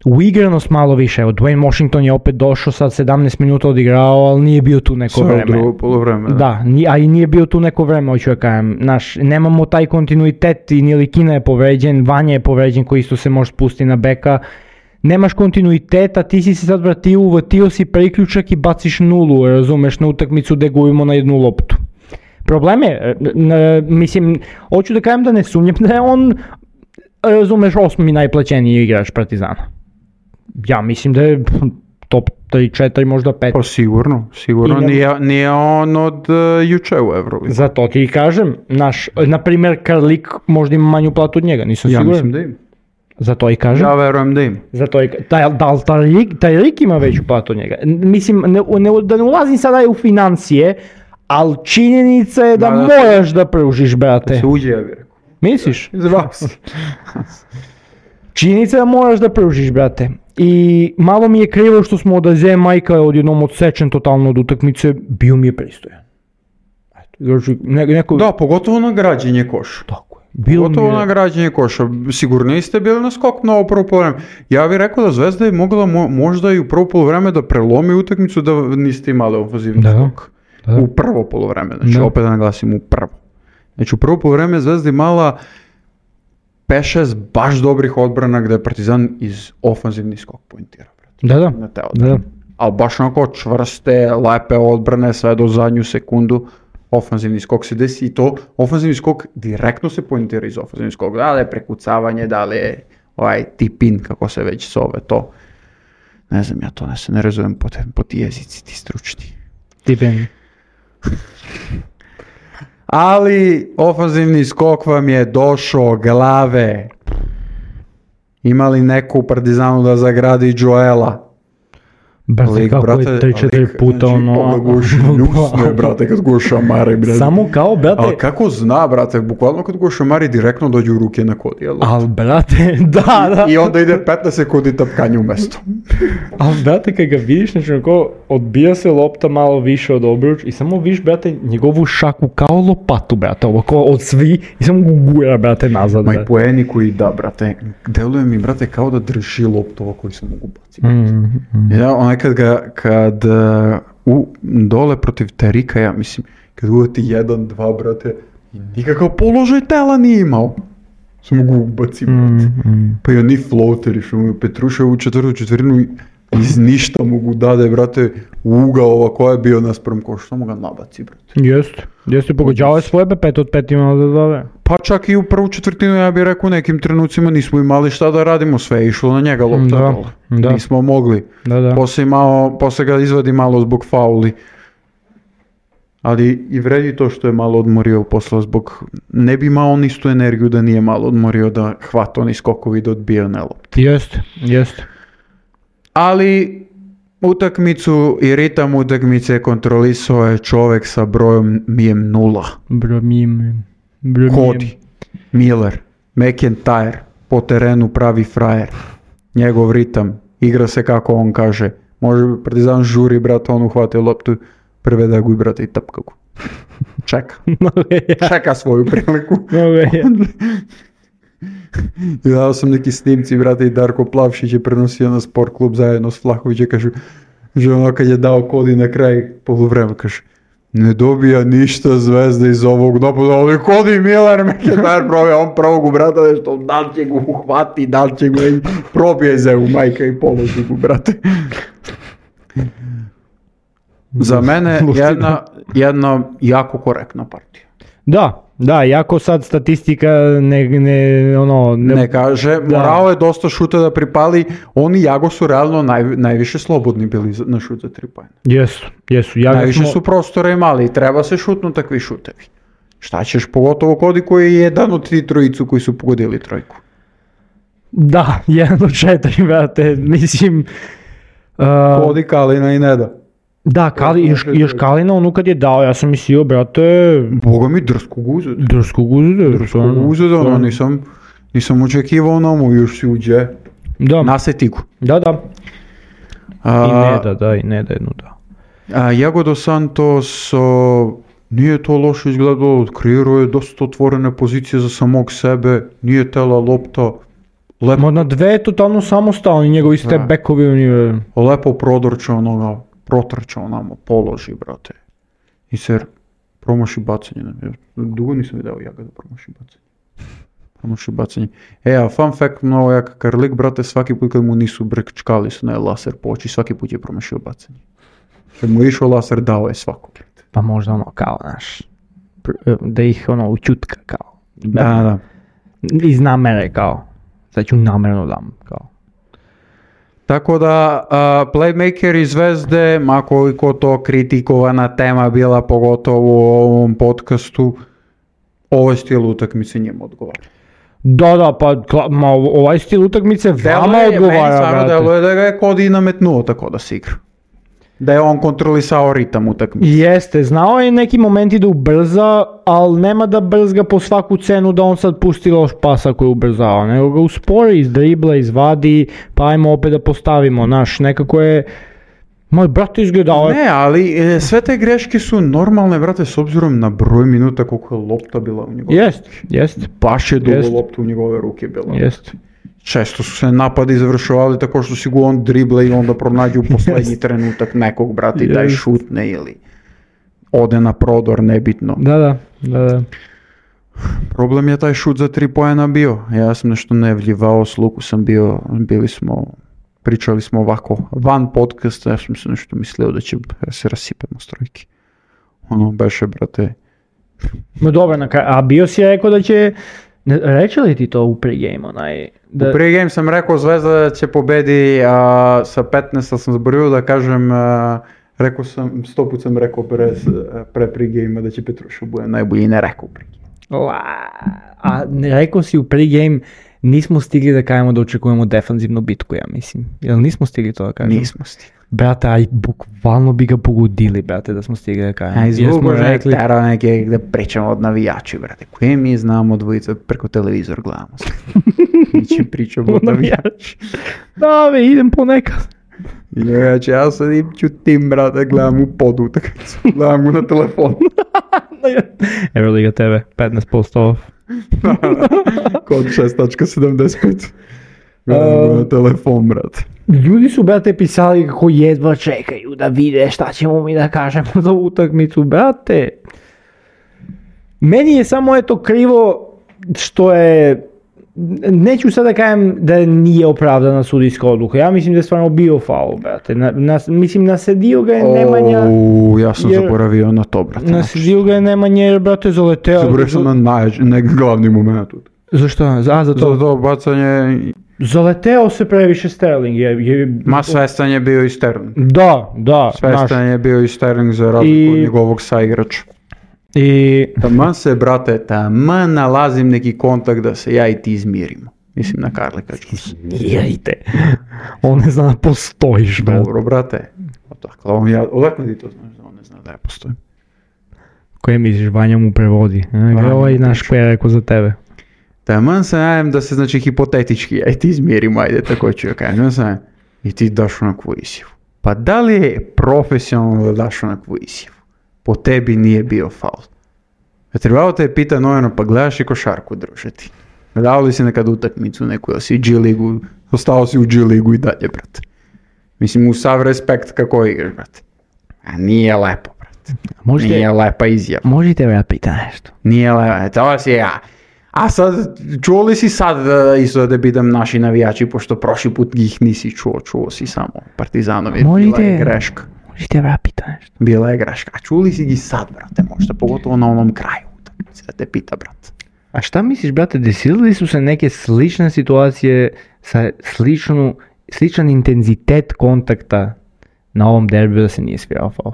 uigranost malo više. Evo, Dwayne Washington je opet došao, sad sedamnaest minuta odigrao, ali nije bio tu neko Sve u vreme. drugo polovreme. Da, ni- a i nije bio tu neko vreme, hoću da kažem. Naš, nemamo taj kontinuitet i Nilikina je povređen, Vanja je povređen koji isto se može spustiti na beka. Nemaš kontinuiteta, ti si se sad vratio, uvatio si priključak i baciš nulu, razumeš, na utakmicu gde gubimo na jednu loptu. Problem je, n- n- mislim, hoću da kažem da ne sumnjam da je on, razumeš, osmi najplaćeniji igrač Partizana. Ja mislim da je top tri četiri, možda pet. Pa sigurno, sigurno I ne- nije, nije on od uh, juče u Euroligi. Zato ti i kažem, naš, na primjer, Karlik možda ima manju platu od njega, nisam Ja siguran. mislim da ima. Zato i kažem. Ja verujem da ima. Zato i, taj, da li taj lik, taj lik ima veću platu od njega? N- Mislim, ne, ne, da ne ulazim sada u financije, ali činjenica je da, Da, da. moraš da pružiš, brate. Se uđe, ja bih rekao. Misliš? Zvao se. Činjenica je da moraš da pružiš, brate. I malo mi je krivo što smo od Aze Majka odjednom odsečen totalno od utakmice, bio mi je pristojan. Znači, ne, neko... Da, pogotovo na građenje koša. Tako je. Bilo Pogotovo mi je... na građenje koša. Sigurno niste bili na skok mnogo prvo polovreme. Ja bih rekao da Zvezda je mogla mo- možda i u prvo polovreme da prelomi utakmicu da niste imali ofanzivni Da. skok. Da. U prvo polovreme, znači Da. opet da naglasim u prvo. Znači u prvo polovreme Zvezda imala pet šest baš dobrih odbrana gde je Partizan iz ofanzivni skok poentirao. Da, da. Na te odbrane. Da. Ali baš onako čvrste, lepe odbrane sve do zadnju sekundu. Ofanzivni skok se desi i to ofanzivni skok direktno se poentira iz ofanzivni skok. Da li je prekucavanje, da li je ovaj tip-in, kako se već zove to. Ne znam, ja to ne se ne razumem po, te, po ti jezici, ti stručni. Tipen. Ali ofanzivni skok vam je došao glave. Imali neko u Partizanu da zagradi Joela. Brate, Lik, kako brate, je tri četiri lik, puta znači, ono... on ga guši, ljusno je, brate, kad go šamari, brate. Samo kao, brate... Ali kako zna, brate, bukvalno kad go šamari direktno dođe u ruke na kod, jel? Al, brate, da, da. I onda ide petnaest sekundi tapkanje u mesto. Al, brate, kad ga vidiš, znači, onako, odbija se lopta malo više od obruč i samo vidiš, brate, njegovu šaku kao lopatu, brate, ovako od svi i samo ga gura, brate, nazad, Ma i brate. poeni koji da, brate, deluje mi, brate, kao da drži loptova koji se mogu baciti. Mm, mm. Ja, onaj kad ga, kad uh, u, dole protiv Terika, ja mislim, kad uvati jedan, dva, brate, nikakav položaj tela nije imao. Samo ga ubaci, brate. Mm, mm. Pa i oni floateri, što mu Petruša u četvrtu četvrinu iz ništa mogu dade, brate, u ugao ovako je bio naspram koša, samo ga nabaci, brate. Jeste, jeste, pogođavao je svoje, pet od pet imao da dove. Pa čak i u prvu četvrtinu, ja bih rekao, u nekim trenucima nismo imali šta da radimo, sve je išlo na njega lopta Da, dole. da. Nismo mogli. Da, da. Posle, imao, posle ga izvadi malo zbog fauli. Ali i vredi to što je malo odmorio posle zbog... Ne bi imao on istu energiju da nije malo odmorio da hvata oni skokovi da odbija na lopti. Jeste, jeste. Ali utakmicu i ritam utakmice kontrolisao je čovek sa brojem mijem nula. Bromim. Bromim. Cody, Miller, McIntyre, po terenu pravi frajer. Njegov ritam, igra se kako on kaže. Može Partizan žuri, brate, on uhvati loptu, prevede ga i brate i tapka ga. Čeka. Čeka svoju priliku. I dao sam neki snimci, brate, i Darko Plavšić je prenosio na sport klub zajedno s Flahovića, kažu, že ono kad je dao Cody na kraj poluvremena, kaže, ne dobija ništa Zvezda iz ovog napada, ali Cody Miller, McIntyre probija, on prvog u brata nešto, da li će ga uhvati, da li će ga i probije zevu majka i položi ga, brate. Za mene jedna, jedna jako korektna partija. Da, da, jako sad statistika ne, ne, ono... Ne, Ne kaže, morao je dosta šuta da pripali, oni i Jago su realno naj, najviše slobodni bili za- na šut za tri poena. Jesu, jesu. Ja Najviše smo, su prostora imali i treba se šutnu takvi šutevi. Šta ćeš, pogotovo Cody koji je jedan od ti trojicu koji su pogodili trojku. Da, jedan od četiri, brate, mislim... Uh, Cody, Kalina i Neda. da, Kali, još, još Kalina, ono kad je dao, ja sam mislio, brate, Boga mi drskog uzeda. drskog uzde. Drskog uzeda, ono nisam, nisam očekivao na mu, još si uđe. Da, Naseti ga. da, da. I A, ne da, da, i ne da jednu da. a Jago dos Santos, o, nije to loše izgledalo, kreirao je dosta otvorene pozicije za samog sebe, nije tela lopta, lepo, Ma na dve je totalno samostalni, njegovi ste Da. bekovi, on je... lepo prodorčao onoga, protrčao namo, položi, brate. I ser promaši bacanje. Ja dugo nisam vidio Jaga da promaši bacanje. Promaši bacanje. E, a fun fact, mnogo jak Karlik, brate, svaki put kad mu nisu brčkali su na laser po oči, svaki put je promašio bacanje. Kad mu je išao laser, dao je svako, brate. Pa možda ono kao, znaš, pr- da ih ono učutka kao. Da, da. Iz namere kao. Sad ću namjerno dam kao. Tako da, a, playmaker iz Zvezde, ma koliko to kritikovana tema bila, pogotovo u ovom podcastu, ovaj stil utakmice njemu odgovara. Da, da, pa kla- ma, ovaj stil utakmice vama Deluje, meni odgovara, stvarno brate. deluje da ga je Cody nametnuo tako da se igra. Da je on kontrolisao ritam utakmice. Jeste, znao je neki momenti da ubrza, ali nema da brzga po svaku cenu da on sad pusti loš pas ako je ubrzao, nego ga uspori, iz dribla, izvadi, pa ajmo opet da postavimo, naš, nekako je Moj brat izgledao je... Ne, ali e, sve te greške su normalne, brate, s obzirom na broj minuta koliko je lopta bila u njegove. Jest, jest. Baš je dugo Jest. lopta u njegove ruke bila. Jest. Često su se napadi završavali tako što si go on drible i onda pronađe u poslednji trenutak nekog, brate, i taj Jest. šutne ili ode na prodor, nebitno. Da, da, da, da. Problem je taj šut za tri poena bio. Ja sam nešto nevljivao, s Luku sam bio, bili smo, pričali smo ovako van podcasta, ja sam se nešto mislio da će se rasipemo s trojke. Ono, beše, brate. No dobro, na kraju, a bio si rekao da će, ne, reče li ti to u pregame, onaj, da, U pregame sam rekao Zvezda će pobedi a, sa petnaest, ali sam zaboravio da kažem, a, rekao sam, sto put sam rekao pre, pre pregame da će Petrušev bude najbolji, ne rekao u pregame. La, a ne, rekao si u pregame, nismo stigli da kažemo da očekujemo defanzivnu bitku, ja mislim. Jel nismo stigli to da kažemo? Nismo stigli. Brate, aj bukvalno bi ga pogodili, brate, da smo stigli da kažemo. A Jer smo izvugo je rekli, tera neke da pričamo od navijači, brate. Koje mi znamo dvojica preko televizor gledamo. Mi će pričamo od navijači. da be, idem ponekad. Inače, ja sadim čutim, brate, gledam u podu, tako gledam go na telefon. Euroliga T V, petnaest posto off. Kod šest tačka sedamdeset pet. Gledam go na telefon, brate. Ljudi su, brate, pisali kako jedva čekaju da vide šta ćemo mi da kažemo za utakmicu, brate. Meni je samo eto krivo što je, neću sad da kažem da nije opravdana sudijska odluka, ja mislim da je stvarno bio faul, brate. Na, na, mislim, nasedio ga je Nemanja. O, ja sam jer- zaboravio na to, brate. Nasedio ga je Nemanja jer, brate, zaleteo. Zaboravio sam na naj, nek glavni moment. Zašto? A, za To, to. to bacanje, Zaleteo se previše Sterling. Je, je, ma svestan je bio i Sterling. Da, da. Svestan znaš. je bio i Sterling za razliku I- od njegovog saigrača. I Taman se, brate, taman nalazim neki kontakt da se ja i ti izmirimo. Mislim na Karlika Jones. smirite. On ne zna da postojiš, brate. Dobro, brate. Odakle, on ja, odakle ti to znaš da on ne zna da ja postojim? Koje misliš, Vanja mu prevodi? Vanja Ovaj mu naš koji je rekao za tebe. Taman se najem da se, znači, hipotetički ja i ti izmirimo, ajde, tako ću ja kažem, sam, i ti daš onakvu izjavu. Pa da li je profesionalno da daš onakvu izjavu? Po tebi nije bio faul. Ja trebalo te pita Nojano, pa gledaš i košarku, druže ti. Gledao li si nekad utakmicu neku, jel si G ligu, ostao si u G ligu i dalje, brate. Mislim, u sav respekt kako igraš, brate. A nije lepo, brate. Možete, Nije lepa izjava. možete me pita nešto. Nije lepo, to si ja. A sad, čuo li si sad da isto da pitam naši navijači, pošto prošli put ih nisi čuo, čuo si samo Partizanovi, bila Možete- je greška. Možete me pita nešto. Bila je greška. A čuli si ih sad, brate, možda, pogotovo na onom kraju utakmice, da te pita, brate. A šta misliš, brate, desili su se neke slične situacije sa sličnu, sličan intenzitet kontakta na ovom derbiju da se nije svirao faul?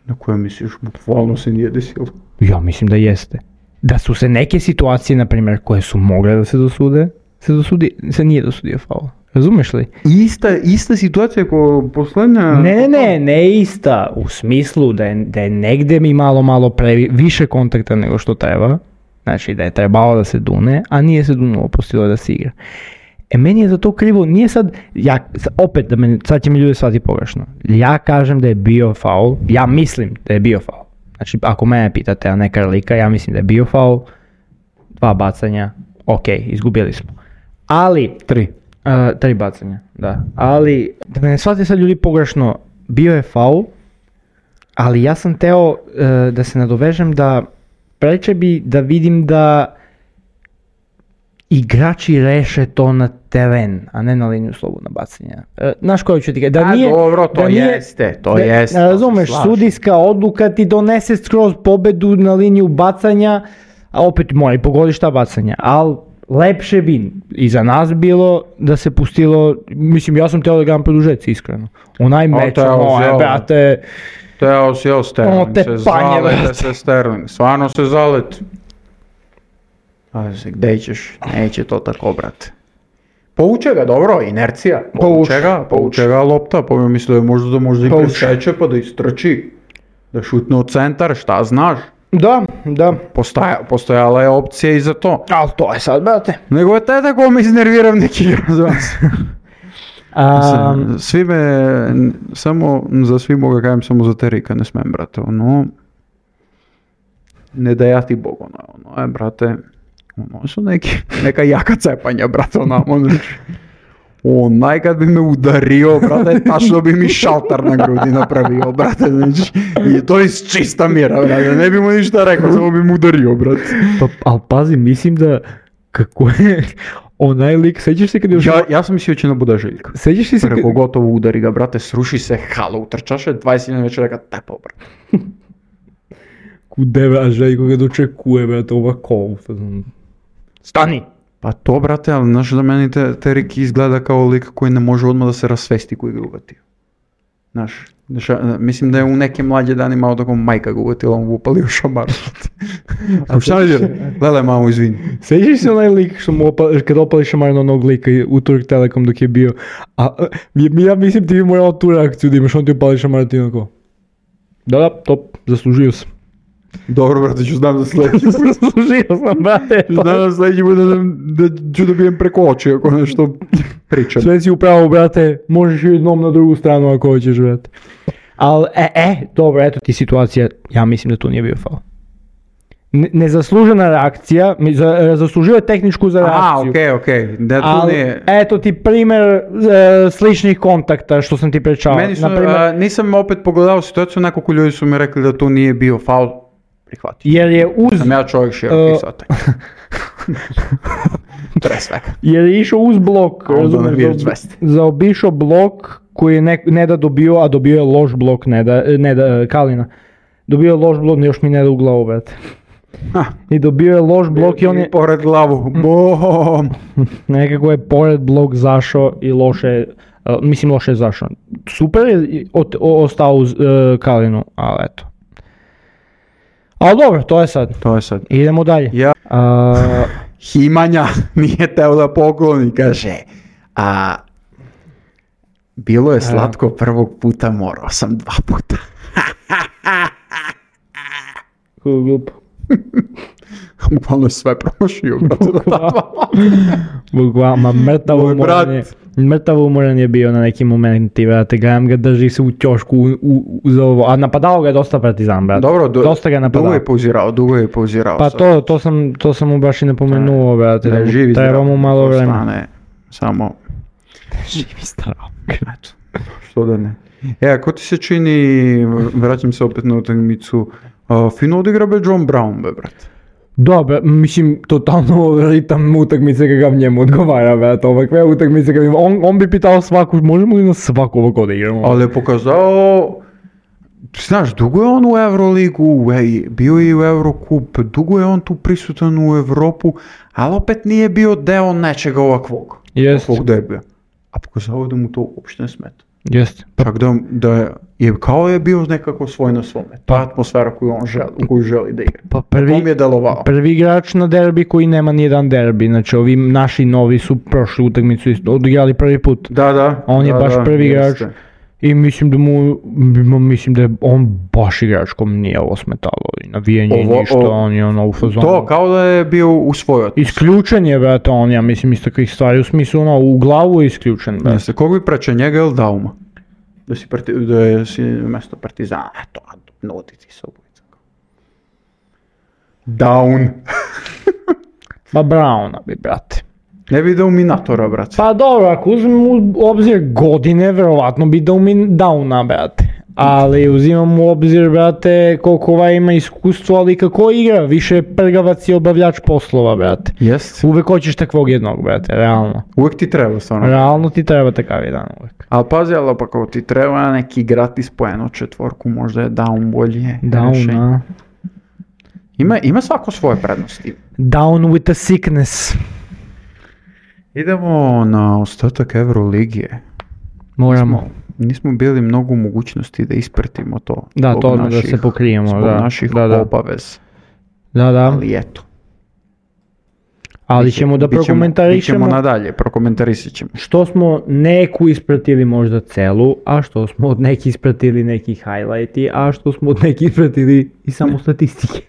Na koje misliš, bukvalno se nije desilo. Ja mislim da jeste. Da su se neke situacije, na primjer, koje su mogle da se dosude, se, dosudi, se nije dosudio faul. Razumeš li? Ista, ista situacija kao poslednja... Ne, ne, ne, ne ista, u smislu da je, da je negde mi malo, malo previ, više kontakta nego što treba, znači da je trebalo da se dune, a nije se dunulo, pustilo da se igra. E meni je za to krivo, nije sad, ja, opet, da me, sad će mi ljudi shvati pogrešno, ja kažem da je bio faul, ja mislim da je bio faul, znači ako mene pitate, a ne Karlika, ja mislim da je bio faul, dva bacanja, ok, izgubili smo, ali... Tri. Uh, tri bacanja, da. Ali, da me ne shvate sad ljudi pogrešno, bio je faul, ali ja sam teo uh, da se nadovežem da preče bi da vidim da igrači reše to na teren, a ne na liniju slobodna bacanja. Uh, znaš koju ću ti kažem? Da A nije, dobro, to da nije- jeste, to da- jeste. Razumeš, to se slažem. sudijska odluka ti donese skroz pobedu na liniju bacanja, a opet mora i pogodiš ta bacanja, ali lepše bi i za nas bilo da se pustilo, mislim ja sam teo da gledam produžeci, iskreno. Onaj meč, teo ono si, je, ovo. brate, Teo si, evo Sterling, Ono te se panje, zalete brate. se Sterling, stvarno se zaleti. A se, gde ćeš, neće to tako, brate. Pouče ga, dobro, inercija, pouče Pouče, ga, pouče ga lopta, pa mi mislio da možda da možda i Pouče. preseče pa da istrči, da šutne u centar, šta znaš. da, da, Postaja, postojala je opcija i za to. ali to je sad, brate. Nego je te tako mi iznerviram neki igra za vas. A, Svi me, samo za svi mogu kažem, samo za Terika ne smem, brate, ono, ne da ja ti Bog, ono, ono je, brate, ono su neki, neka jaka cepanja, brate, ono, ono, onaj kad bi me udario, brate, tačno bi mi šaltar na grudi napravio, brate, znači, i to iz čista mira, brate, ne bi mu ništa rekao, samo bi mu udario, brate. pa, ali pazi, mislim da, kako je, onaj lik, sećaš se kad je... Ja, ja sam mislio će na bude Željko. Sećaš ti se kad... Rekao, gotovo udari ga, brate, sruši se, halo, utrčaše, dvadeset jedan večer reka, tepao, brate. Kude, bra, Željko ga dočekuje, brate, ovako, stani! Pa to, brate, ali znaš da meni te, Terik izgleda kao lik koji ne može odmah da se rasvesti koji ga uvatio. Znaš, deša, mislim da je u neke mlađe dani malo tako majka ga uvatila, on upalio šamar. A šta ne djela? Gledaj, mamo, izvini. Sećaš se onaj lik što mu opali, kad opali šamar na onog lika u Turk Telekom dok je bio, a, a ja mislim ti bi morao tu reakciju da imaš, on ti opali šamar ti onako. Da, da, top, zaslužio sam. Dobro, brate, ću znam za sljedeći. Zaslužio sam, brate. Znam za sljedeći da, da, da ću dobijem preko oči ako nešto pričam. Sve si upravo, brate, možeš i jednom na drugu stranu ako hoćeš, brate. Ali, e, e, dobro, eto ti situacija, ja mislim da tu nije bio faul. Ne, nezaslužena reakcija, mi za, zaslužio je tehničku za reakciju. A, okej, okay, okej. Okay. Da tu ali, nije... eto ti primjer e, sličnih kontakta što sam ti pričao. Meni su, Naprimer, a, nisam opet pogledao situaciju, nekoliko ljudi su mi rekli da tu nije bio faul. Prihvatio. jer je uz... Sam ja čovjek širokih uh, sata. Tre svega. Jer je išao uz blok, razumiješ, za, zaobišao blok koji je ne, ne da dobio, a dobio je loš blok, ne da, ne da, Kalina. Dobio je loš blok, još mi ne da u glavu, brate. I dobio je loš blok i on je... pored glavu, bom! Nekako je pored blok zašao i loše, uh, mislim loše je zašao. Super je od, o, ostao uz uh, Kalinu, ali eto. Ali dobro, to je sad. To je sad. Idemo dalje. Ja. Uh, Himanja nije teo da pokloni, kaže. A, bilo je slatko prvog puta, morao sam dva puta. Glupo. Bukvalno je sve promašio, brate. Bukvalno, mrtav umoran je. Mrtav umoran je bio na nekim momenti, brate, gledam ga drži se u ćošku u, u, uz ovo, a napadao ga je dosta Partizan, brate. Dobro, do, dosta ga napadao. dugo je pauzirao, dugo je pauzirao. Pa to, to sam, to sam mu baš i napomenuo, brate, da živi treba mu malo vremena. Stane, samo... Živi staro. Eto, što da ne. E, ako ti se čini, vraćam se opet na utakmicu, uh, fino odigra be John Brown, be, brate. Da, mislim, totalno ritam utakmice kakav njemu odgovara, brate, ovakve utakmice kakav on, on bi pitao svaku, možemo li na svaku ovako da igramo? Ali je pokazao, znaš, dugo je on u Euroligu, bio je u Eurocup, dugo je on tu prisutan u Evropu, ali opet nije bio deo nečega ovakvog, Jest. ovakvog derbija. A pokazao da mu to uopšte ne smeta. Jeste. Čak da, da je kao je bio nekako svoj na svome. Ta atmosfera koju on želi, u koju želi da igra. Pa prvi, on je delovao. Prvi igrač na derbi koji nema nijedan derbi. Znači ovi naši novi su prošli utakmicu odigrali prvi put. Da, da. On je da, baš da, prvi igrač. jeste. I mislim da mu, mislim da je on baš igrač kom nije ovo smetalo. I navijanje i ništa, o, on je ono u fazonu. To kao da je bio u svojoj atmosferi. Isključen je, brate, on, ja mislim iz takvih stvari. U smislu ono, u glavu je isključen, brate. Jeste, koga bi preče njega ili Dauma? Da si, parti, da je si mjesto Partizana, eto, nuti ti se obojica. Down. Pa Browna bi, brate. Ne bi dao Minatora, brate. Pa dobro, ako uzmem u obzir godine, verovatno bi dao mi Downa, brate. Ali uzimam u obzir, brate, koliko ovaj ima iskustvo, ali kako igra, više prgavac i obavljač poslova, brate. Jest. Uvek hoćeš takvog jednog, brate, realno. Uvijek ti treba, stvarno. Realno ti treba takav jedan uvek. Ali pazi, ali pa kao ti treba neki gratis po jednu četvorku, možda je Down bolje. Down, a? Ima, ima svako svoje prednosti. Down with the sickness. Idemo na ostatak Euroligije. Moramo. Nismo, nismo bili mnogo u mogućnosti da ispratimo to. Da, to odmah da se pokrijemo. Zbog da, naših da, da. obavez. Da, da. Ali eto. Ali ćemo da prokomentarišemo. Bićemo nadalje, prokomentarisat ćemo. Što smo neku ispratili možda celu, a što smo od neki ispratili neki highlighti, a što smo od neki ispratili i samo statistike.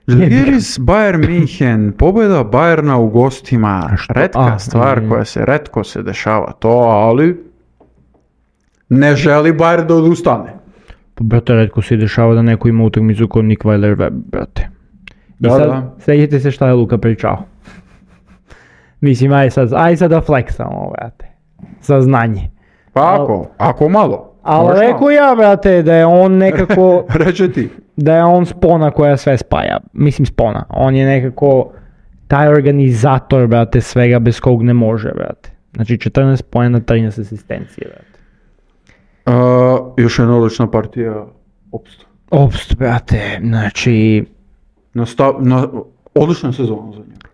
Žalgiris Bayern Minhen, pobjeda Bayerna u gostima, što? retka A, stvar mm. koja se retko se dešava to, ali ne želi Bayern da odustane. Pa, brate, redko se dešava da neko ima utakmicu kod Nick Weiler-Webb, brate. I Da, sad, da. sjećate se šta je Luka pričao. Mislim, aj sad, aj sad da fleksamo, brate. Saznanje. Pa ako, ako malo. Ali možda. rekao ja, brate, da je on nekako, Reče ti. da je on spona koja sve spaja. Mislim spona. On je nekako taj organizator, brate, svega bez kog ne može, brate. Znači četrnaest poena, trinaest asistencije, brate. Uh, još jedna odlična partija opsta. Opst, brate, znači Nastav, na, odlična sezona za njega.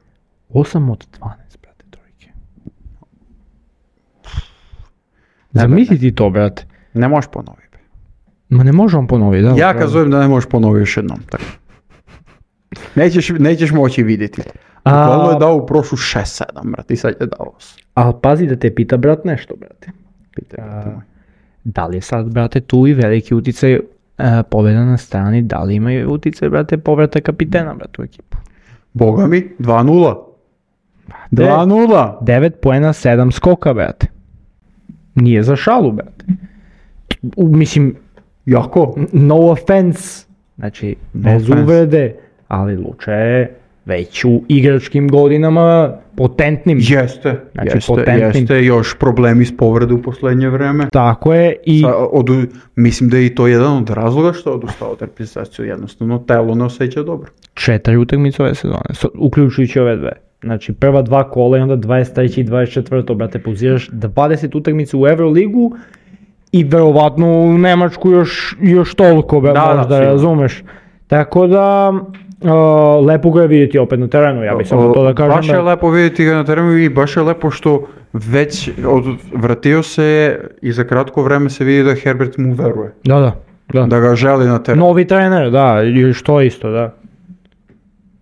osam od dvanaest, brate, trojke. Zamisli ti to, brate. Ne možeš ponoviti. Ma ne možemo ponoviti, da? Ja upravo. kad zovem da ne možeš ponoviti još jednom. Tako. Nećeš, nećeš moći vidjeti. A- Bukvalno je dao u prošlu šest sedam, brate, i sad je dao osam. Ali pazi da te pita, brat, nešto, brate. Pitaj, A, pitaj moj. Da li je sad, brate, tu i veliki utjecaj uh, pobjeda na strani, da li imaju utjecaj, brate, povrata kapitena, brate, u ekipu? Boga mi, dva nula. dva nula. devet poena, sedam skoka, brate. Nije za šalu, brate. U, mislim, Jako. no offense, znači, bez offense. uvrede, ali Luča je već u igračkim godinama potentnim. Jeste, Znači, jeste, potentnim. jeste, još problemi s povrede u posljednje vreme. Tako je i... Sa, od, mislim da je i to jedan od razloga što je odustao od reprezentacije, jednostavno telo ne osjeća dobro. Četiri utakmice ove sezone, so- uključujući ove dve. Znači prva dva kola i onda dvadeset treće i dvadeset četvrto brate, poziraš dvadeset utakmica u Euroligu i verovatno u Nemačku još, još toliko, be, Da, da, možda, sigurno. razumeš. Tako da, uh, lepo ga je vidjeti opet na terenu, ja bih samo to da kažem. Baš je da- lepo vidjeti ga na terenu i baš je lepo što već od, vratio se i za kratko vreme se vidi da Herbert mu veruje. Da, da, da. Da ga želi na terenu. Novi trener, da, i što isto, da.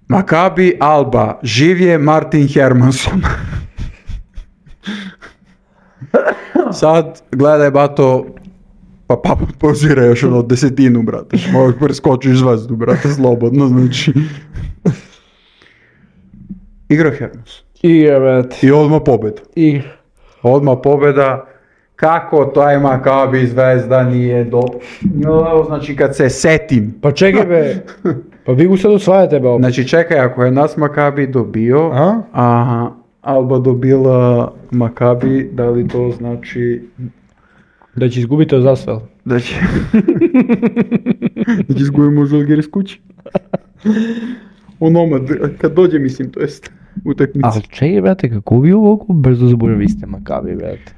Maccabi Alba, živ je Martin Hermansson. Sad gledaj bato, pa pa pozira još ono desetinu, brate. Možeš preskočiš zvezdu, brate, slobodno, znači. Igra Hermansson. Igra, brate. I odmah pobjeda. Igra. Odmah pobjeda. Kako taj Maccabi Zvezda nije do... No, znači kad se setim. Pa čekaj be, pa vi ga sad osvajate be opet. Znači čekaj, ako je nas Maccabi dobio, A? aha, Alba dobila Maccabi, da li to znači Da će izgubiti od Zasvel. da će... da će izgubimo Žalgiris kući? Onoma, kad dođe mislim, to jest utakmica. Ali čekaj, brate, kako vi ovako brzo zaboraviste Maccabi, brate?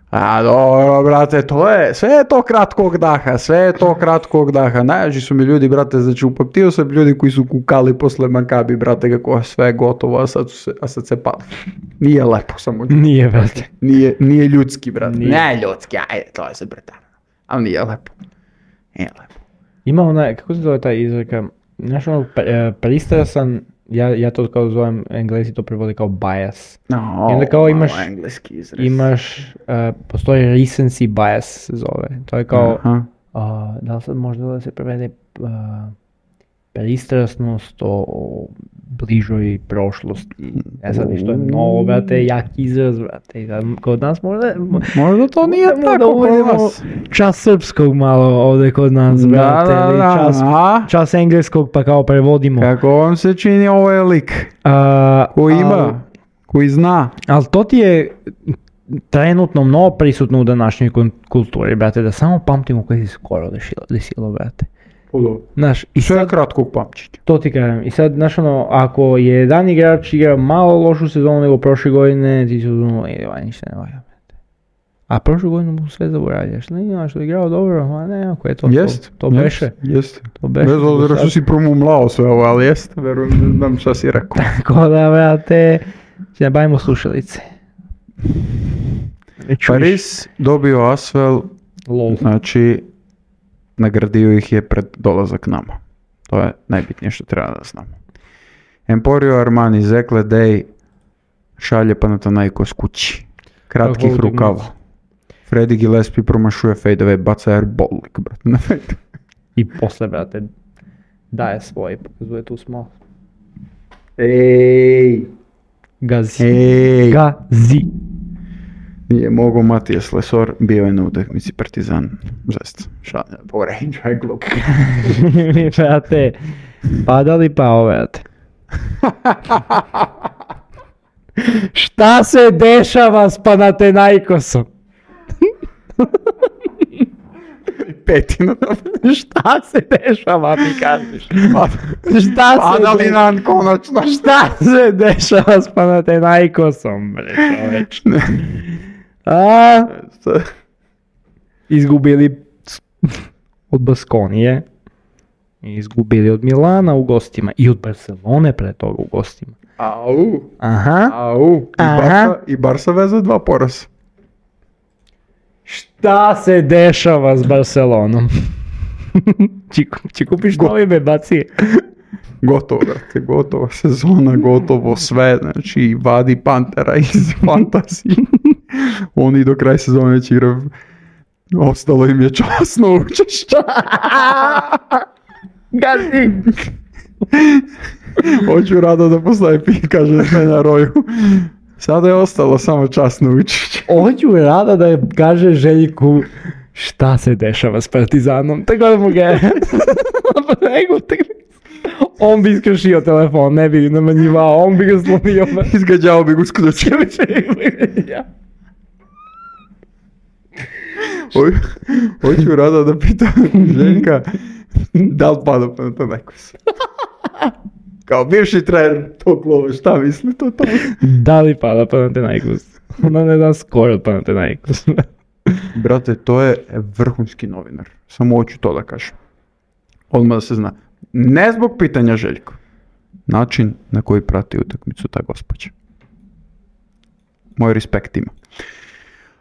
A dobro, brate, to je, sve je to kratkog daha, sve je to kratkog daha. Najjači su mi ljudi, brate, znači upamtio sam ljudi koji su kukali posle Maccabi, brate, kako je sve gotovo, a sad, su se, a sad se pali. Nije lepo samo. Nije, brate. Nije, nije ljudski, brate. Nije. Ne ljudski, ajde, to je sad bratan. Ali nije lepo. Nije lepo. Ima onaj, kako se zove taj izreka, znaš ono, pre- pristrasan, ja, ja to kao zovem, Englesi to prevode kao bias. No, I onda kao malo imaš- engleski izraz. Imaš, uh, postoji recency bias se zove, to je kao, Aha. uh, da li sad možda da se prevede uh, pristrasnost o, o bližoj prošlosti, ne znam ni što je mnogo, brate, jak izraz, brate, i sad kod nas možda, Možda to nije možda tako kod uvodimo nas. čas srpskog malo ovdje kod nas, Da, brate, da, ili da, čas, a? čas engleskog pa kao prevodimo. Kako vam se čini ovo je lik? A, Koji al- ima? Koji zna? Ali to ti je trenutno mnogo prisutno u današnjoj kun- kulturi, brate, da samo pamtimo koje se skoro desilo, desilo, brate. Znaš, i Sve je sad, kratkog pamćenja. to ti kažem, i sad, znaš ono, ako je jedan igrač igra malo lošu sezonu nego prošle godine, ti se uzmano, e, ovaj ništa ne valja, brate. A prošlu godinu mu sve zaboravljaš, ne imaš što je igrao dobro, a ne, ako je to, Jest, to, to beše, Jeste. to beše. Bez obzira Sad- što si promumlao sve ovo, ali jeste, verujem da znam šta si rekao. Tako da, brate, se ne bavimo slušalice. Ne čuješ. Paris dobio Asvel, Lol. znači nagradio ih je pred dolazak nama. To je najbitnije što treba da znamo. Emporio Armani, Zekle Day šalje Panathinaikos kući. Kratkih Kakva rukava. utakmica. Freddy Gillespie promašuje fadeaway, baca airball, brate, na fade. I posle, brate, daje svoj, pokazuje tu smo. Ej, Gazi. ej. Gazi. Nije mogo Matijas Lesor, bio je na utakmici Partizan. Žest, šalja, poređaj glup. Mi, brate, padali pa ovo, brate. Šta se dešava s Panathinaikosom? Petina. Šta se dešava, mi kažeš? Šta se Padali de- nam konačno. Šta se dešava s Panathinaikosom, bre, čoveč? A, izgubili od Baskonije, izgubili od Milana u gostima i od Barcelone pre toga u gostima. Au, Aha. au. I Aha. Barsa, i Barsa veze dva poraza. Šta se dešava s Barcelonom? Či, či kupiš novi bebacije? Gotovo, brate, gotova sezona, gotovo sve, znači vadi Pantera iz fantazije. Oni do kraja sezone će igrati, ostalo im je časno učešće. Gazi! Hoću rado da postaje pi, kaže na Roju. Sada je ostalo samo časno učešće. Hoću rada da kaže Željku šta se dešava s Partizanom, tako da mu ga on bi iskršio telefon, ne bi namanjivao, on bi ga slomio. Izgađao bi ga usključio. Hoću rado da pitam Željka da li pada Panathinaikos. Kao bivši trener tog klova, šta misli to to? Da li pada Panathinaikos? Ona ne da skoro od Panathinaikos. Brate, to je vrhunski novinar. Samo hoću to da kažem. Odmah da se zna. Ne zbog pitanja Željko. Način na koji prati utakmicu ta gospođa. Moj respekt ima.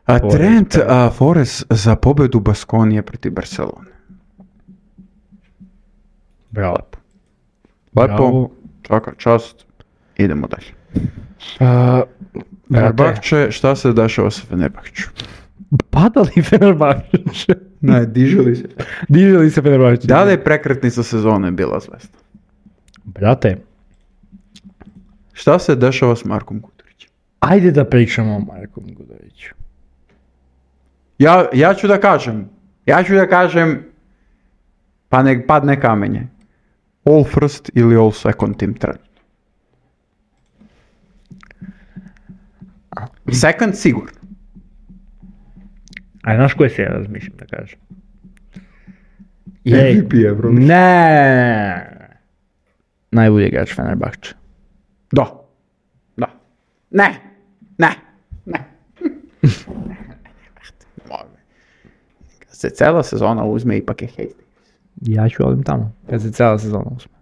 A Tvoj Trent respekt. a, Forest za pobedu Baskonije protiv Barcelone. Bravo. Lepo, Bravo. svaka čast. Idemo dalje. Uh, Fenerbahče, šta se dešava sa Fenerbahču? Padali Fenerbahče. Ne, diželi se. Diželi se Fenerbahče. Da li je prekretnica sezone bila Zvezda? Brate, Šta se dešava s Markom Gudurićem? ajde da pričamo o Markom Guduriću. Ja, ja ću da kažem, ja ću da kažem, pa nek padne kamenje. All first ili all second team trenutno. Second sigurno. A znaš koje se ja razmišljam da kažem? M V P Euro. Ne. Najbolji igrač Fenerbahče. Da. Da. Ne. Ne. Ne. Kad se cela sezona uzme, ipak je Hayes. Ja ću odim tamo, kad se cijela sezona uzme.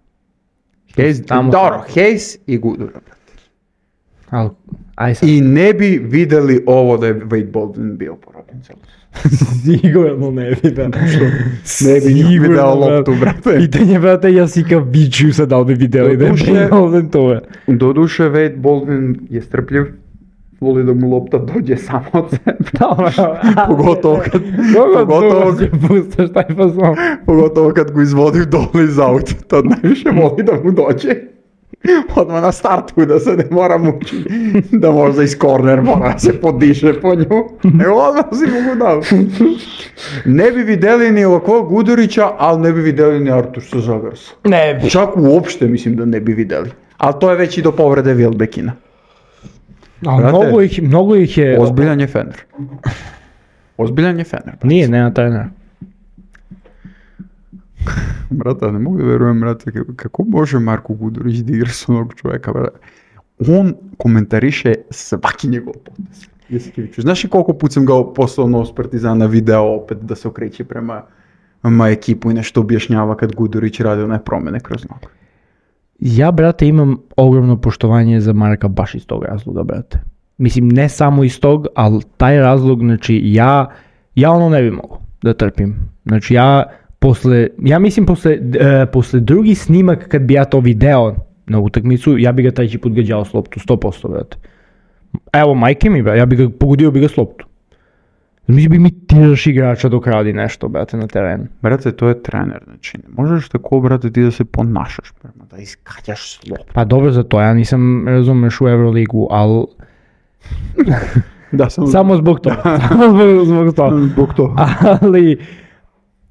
Hayes, Tamo- dobro, Hayes i Gudura, brate. Ali, aj sad. I ne bi videli ovo da je Wade Baldwin bio porobljen celu sezonu. Sigurno ne bi da. Ne bi nju video loptu, brate. Pitanje, brate, ja si kao biću sad da li bi vidjeli da je Doduše- Baldwin to. Doduše, Wade Baldwin je strpljiv, voli da mu lopta dođe samo od sebe. Pogotovo kad, pogotovo, Pogotovo kad pustaš taj fazon. pogotovo kad go izvodi dole iz auta, tad najviše voli da mu dođe. Odmah na startu da se ne mora mučiti, da možda iz korner mora da se podiše po nju. Evo odmah si mogu dao. Ne bi videli ni ovako Gudurića, ali ne bi videli ni Artuša Žagarsa. Ne bi. Čak uopšte mislim da ne bi videli. Ali to je već i do povrede Wilbekina. A Brate, mnogo ih, mnogo ih je... Ozbiljan je Fener. Ozbiljan je Fener. brate. Nije, nema trenera. Brate, ne mogu da verujem, brate, kako- kako može Marko Gudurić da igra s onog čovjeka, brate. On komentariše svaki njegov potez. Jesi ti vidio? Znaš li koliko put sam ga poslao nos Partizana video opet da se okreće prema ma ekipu i nešto objašnjava kad Gudurić radi one promjene kroz nogu. Ja, brate, imam ogromno poštovanje za Marka baš iz tog razloga, brate. Mislim, ne samo iz tog, ali taj razlog, znači, ja, ja ono ne bi mogao da trpim. Znači, ja posle, ja mislim posle, e, posle drugi snimak kad bi ja to video na utakmicu, ja bi ga treći put gađao s loptu, sto posto, brate. Evo, majke mi, brate, ja bi ga pogodio bi ga s loptu. Mislim bi imitiraš igrača dok radi nešto, brate, na terenu. Brate, to je trener, znači ne možeš tako, brate, ti da se ponašaš prema, da iskađaš slop. Pa dobro za to, ja nisam razumeš u Euroligu, ali Da, samo, samo zbog toga, samo zbog, zbog toga. zbog to. Ali,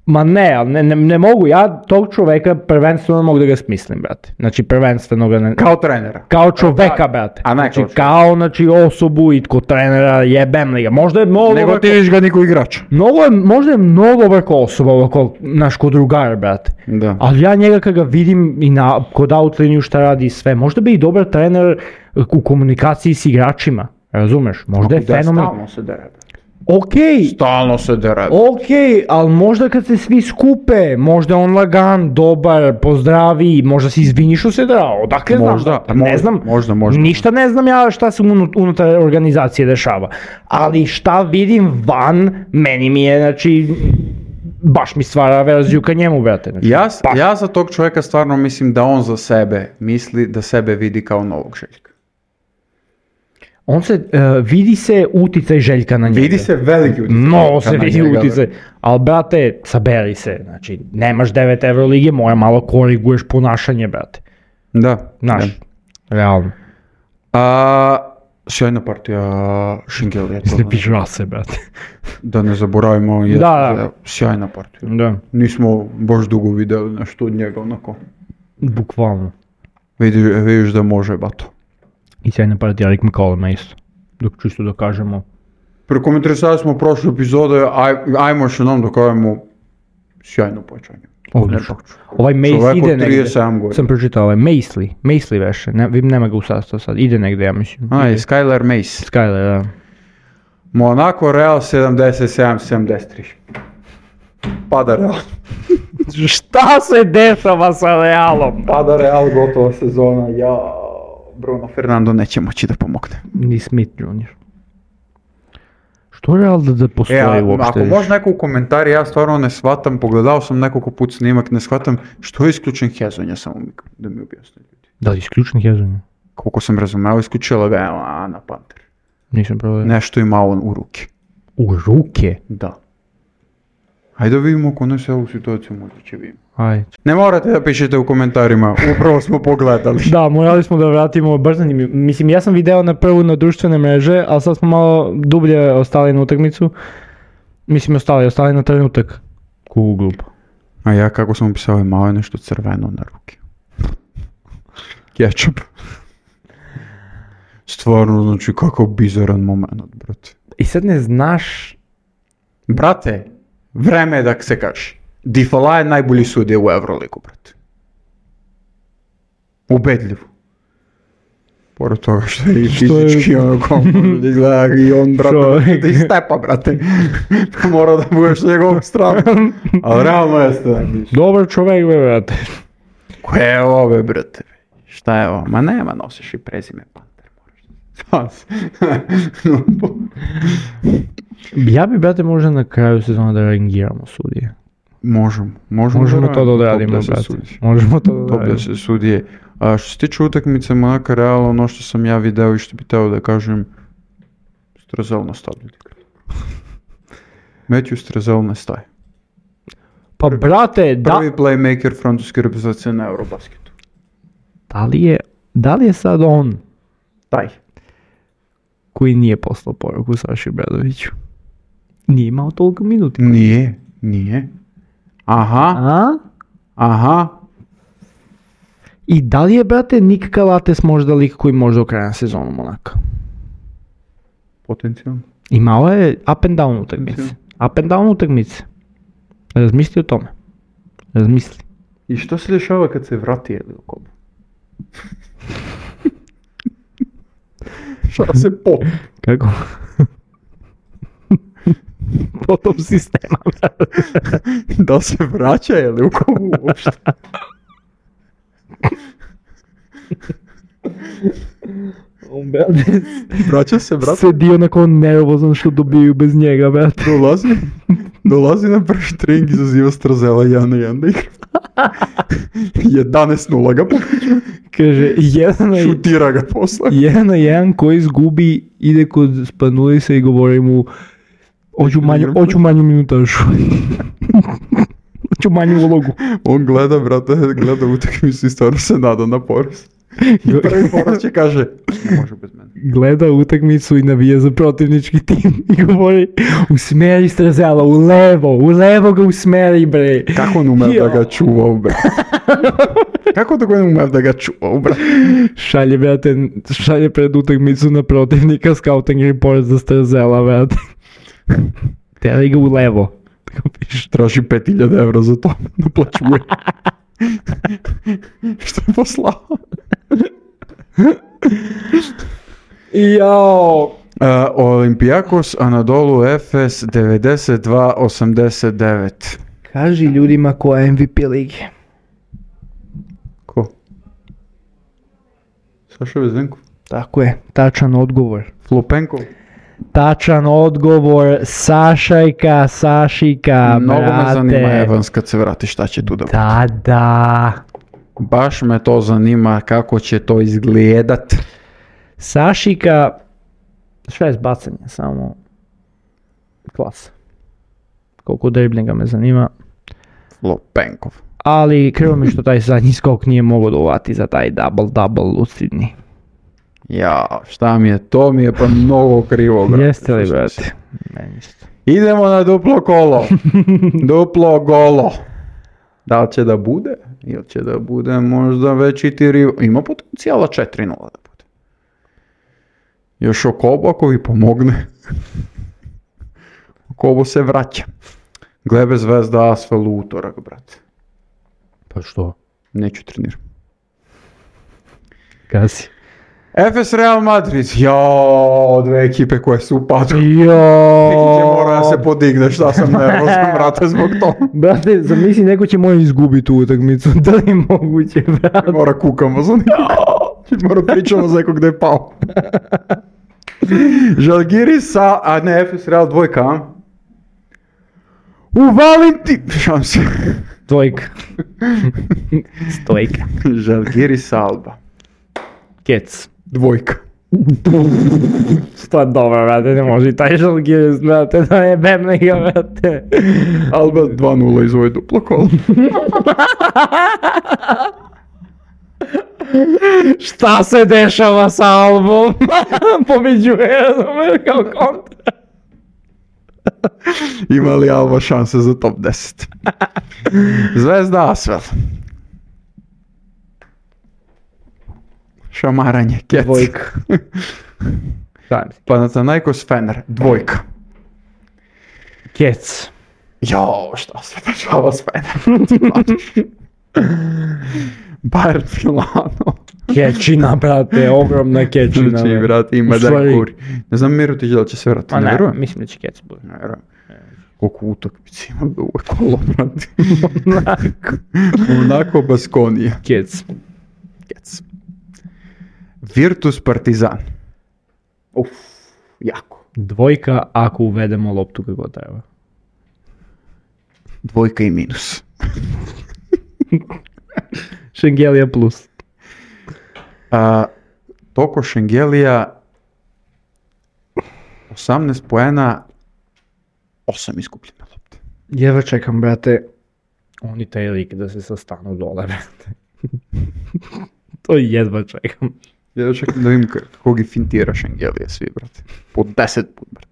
ma ne, ali ne, ne, ne mogu, ja tog čoveka prvenstveno mogu da ga smislim, brate. Znači prvenstveno ga ne... Kao trenera. Kao čoveka, brate. A ne znači, kao kao znači, osobu i ko trenera jebem li ga. Možda je mnogo... Nego ti viš ga niko igrač. Mnogo je, možda je mnogo vrko osoba ovako, naš ko drugar, brate. Da. Ali ja njega kad ga vidim i na, kod outliniju šta radi i sve, možda bi i dobar trener u komunikaciji s igračima, razumeš? Možda je fenomen... Stalno se dere. Okej, Stalno se dere. okej, ali možda kad se svi skupe, možda je on lagan, dobar, pozdravi, možda se izvini što se drao, odakle znam? Možda, Pa ne možda, znam, možda, možda. ništa ne znam ja šta se unut- unutar organizacije dešava, ali šta vidim van, meni mi je, znači, baš mi stvara verziju ka njemu, brate. Znači, Ja, baš. ja za tog čovjeka stvarno mislim da on za sebe misli da sebe vidi kao novog Željka. On se, uh, vidi se uticaj Željka na njega. Vidi se veliki utjecaj. Mnogo se na vidi njega, uticaj, ali brate, saberi se, znači, nemaš devet Evrolige, mora malo koriguješ ponašanje, brate. Da. Znaš, da. realno. A, sjajna partija Šingel je to. Ne piža se, brate. Da ne zaboravimo, je Da, da. sjajna partija. Da, Nismo baš dugo vidjeli nešto od njega onako. bukvalno. Vidiš, vidiš da može, bato. I sjajna partija Rick McColluma isto. Dok čisto da kažemo. Prekomentarisali smo prošle epizode, aj, ajmo još jednom da kažemo sjajno počanje. Odlično. Ovaj Mace Čovek ide od negde. trideset sedam godina. Sam pročitao ovaj Macely. Macely veše. Ne, vidim nema ga u sastavu sad. Ide negde, ja mislim. A, i Ide. Skylar Mace. Skyler, da. Monaco Real sedamdeset sedam sedamdeset tri. Pada Real. Šta se dešava sa Realom? Pada Real, gotova sezona. Ja, Bruno Fernando neće moći da pomogne. Ni Smith junior Što Real da, da postoji E, a, uopšte? ako može neko u komentari, ja stvarno ne shvatam, pogledao sam nekoliko put snimak, ne shvatam što je isključen Hezonja, samo mi, da mi objasne ljudi. Da li isključen Hezonja? Koliko sam razumeo, isključila ga je Ana Panter. Nisam probao. Nešto ima on u ruke. U ruke? Da. Hajde da vidimo ako ne se ovu situaciju možda će vidimo. Ajde. Ne morate da pišete u komentarima, upravo smo pogledali. Da, morali smo da vratimo, baš zanimljivo. Mislim, ja sam video na prvu na društvene mreže, ali sad smo malo dublje ostali na utakmicu. Mislim, ostali, ostali na trenutak. Kugu glupo. A ja kako sam opisao, malo je nešto crveno na ruke. Ketchup. Stvarno, znači, kakav bizaran moment, brate. I sad ne znaš... Brate, vreme je da se kaže. Difala je najbolji sudija u Euroligu, brate. Ubedljivo. Pored toga što je i Što je- fizički onako, može da izgleda i on, brate, Čovjek. da istepa, brate. Mora da budeš na njegovom stranu. Ali realno jeste najbolji. Dobar čovek, be, brate. Koje je ove, brate? Šta je ovo? Ma nema, nosiš i prezime Panter, moraš. Ja bi, brate, možda na kraju sezona da rangiramo sudije. Možemo, možemo. Možemo to da odradimo, Top deset brate. sudije. Možemo to da Top odradimo. deset sudije. A što se tiče utakmice Monaka Reala, ono što sam ja video i što bi teo da kažem, Strazel nastavlja. Matthew Strazel ne staje. Pa, brate, da, Prvi playmaker francuske reprezentacije na Eurobasketu. da li je, da li je sad on Taj. koji nije poslao poruku Saši Bradoviću? Nije imao toliko minuti. Nije, nije. Aha, A? aha. I da li je, brate, Nik Kalates možda lik koji može do kraja sezonu Monaka? Potencijalno. Imao je up and down utakmice. Up and down utakmice. Razmisli o tome. Razmisli. I što se dešava kad se vrati Elio Kobo? Šta se po... Kako? Potom sistema. Da se vraća Elio Kobo uopšte? On, brate, Vraća se, brate. sedi onako nervozan što dobiju bez njega, brate. Dolazi, dolazi na prvi trening, izaziva Strazela jedan na jedan da igra. jedanaest nula ga pobeđa, Kaže, jedan na, šutira ga posle. jedan na jedan koji izgubi, ide kod Spanulisa i govori mu Hoću manju, hoću manju minutažu. Hoću manju ulogu. On gleda, brate, gleda utakmicu i stvarno se nada na poraz. I prvi poraz će kaže, ne može bez mene. Gleda utakmicu i navija za protivnički tim i govori usmeri Strazela, u levo, u levo ga usmeri, bre. Kako on ume da ga čuva, bre? Kako da ga ne ume da ga čuva, bre? Šalje, brate, šalje pred utakmicu na protivnika scouting report za Strazela, brate. Teri ga u levo. Tako piše. Traži pet hiljada evra za to, naplaćuje. Što je poslao? Jao. Uh, Olympiakos, Anadolu Efes, devedeset dva osamdeset devet. Kaži ljudima ko je M V P lige. Ko? Saša Vezenkov? Tako je, tačan odgovor. Flopenkov? Tačan odgovor, Sašajka, Sašika, Mnogo brate. me zanima Evans kad se vrati šta će tu da bude. Da, da. Baš me to zanima kako će to izgledat. Sašika, šest bacanja, samo klasa. Koliko driblinga me zanima. Flopenkov. Ali krivo mi što taj zadnji skok nije mogao da uvati za taj double-double lucidni. Ja, šta mi je, to mi je pa mnogo krivo, brate. Jeste li, brate? Meni isto. Idemo na duplo kolo. Duplo golo. Da li će da bude? Ili će da bude možda već i ti rival? Ima potencijala četiri nula da bude. Još Okobo ako vi pomogne. Okobo se vraća. Glebe Zvezda Asvel u utorak, brate. Pa što? Neću treniram. Kasi. Efes Real Madrid. Jao, dve ekipe koje su u padu. Joooo. Mora da se podigne, šta sam nervozan, brate, zbog toga. Brate, zamisli neko će moj izgubiti tu utakmicu. Da li je moguće, brate? Mora kukamo za nekog. Mora pričamo za nekog gde je pao. Žalgiris sa, a ne, Efes Real dvojka, a? U Valentin... Šam se. Dvojka. Stojka. Žalgiris Alba. Kec. Dvojka. Sto dobro, brate, ne može i taj Žalgiris, brate, da je bemnega, brate. Alba dva nula izvoje duplo kolo. Šta se dešava sa Albom? Pobeđuje, razumeš, kao kontra. Ima li Alba šanse za top deset? Zvezda Asvel. Šamaranje, kec. Dvojka. Panathinaikos Fener, dvojka. Kec. Jao, šta se dešava s Fenerom? Bayern Milano. Kečina, brate, ogromna kečina. Znači, brate, ima da stvari- kuri. Ne znam Mirotić da li će se vratiti, Ma ne ne, vjerujem. mislim da će Kec bude. Ne vjerujem. Koliko utakmica ima da uvek kolo, brate. Onako. Onako Baskonija. Kec. Kec. Virtus Partizan. Uf, jako. Dvojka ako uvedemo loptu kako treba. Dvojka i minus. Šengelija plus. A, Toko Šengelija, osamnaest poena, osam izgubljene lopte. Jedva čekam, brate, oni taj lik da se sastanu dole, brate. To jedva čekam. Ja čekam da vidim kako ih fintira Šengelija svi, brate. Po deset put, brate.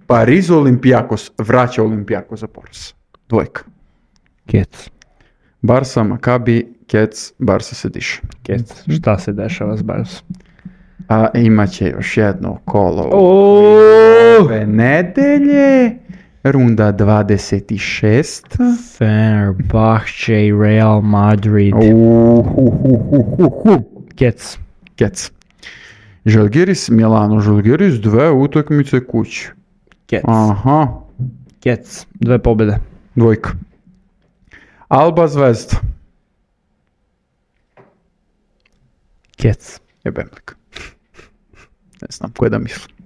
Pariz Olympiakos, vraća Olympiakos za poraz. Dvojka. Kec. Barsa, Makabi, Kec, Barsa se diše. Kec. Šta se dešava s Barsom? A imat će još jedno kolo Oooo! ove nedelje. Runda dvadeset šest. Fenerbahče i Real Madrid. Uhuhuhuhuhu. Kec. Kec. Žalgiris, Milano, Žalgiris, dve utakmice kući. Kec. Aha, Kec. Dve pobjede. dvojka. Alba, Zvezda. Kec. Jebemlik. Ne znam koje da mislim.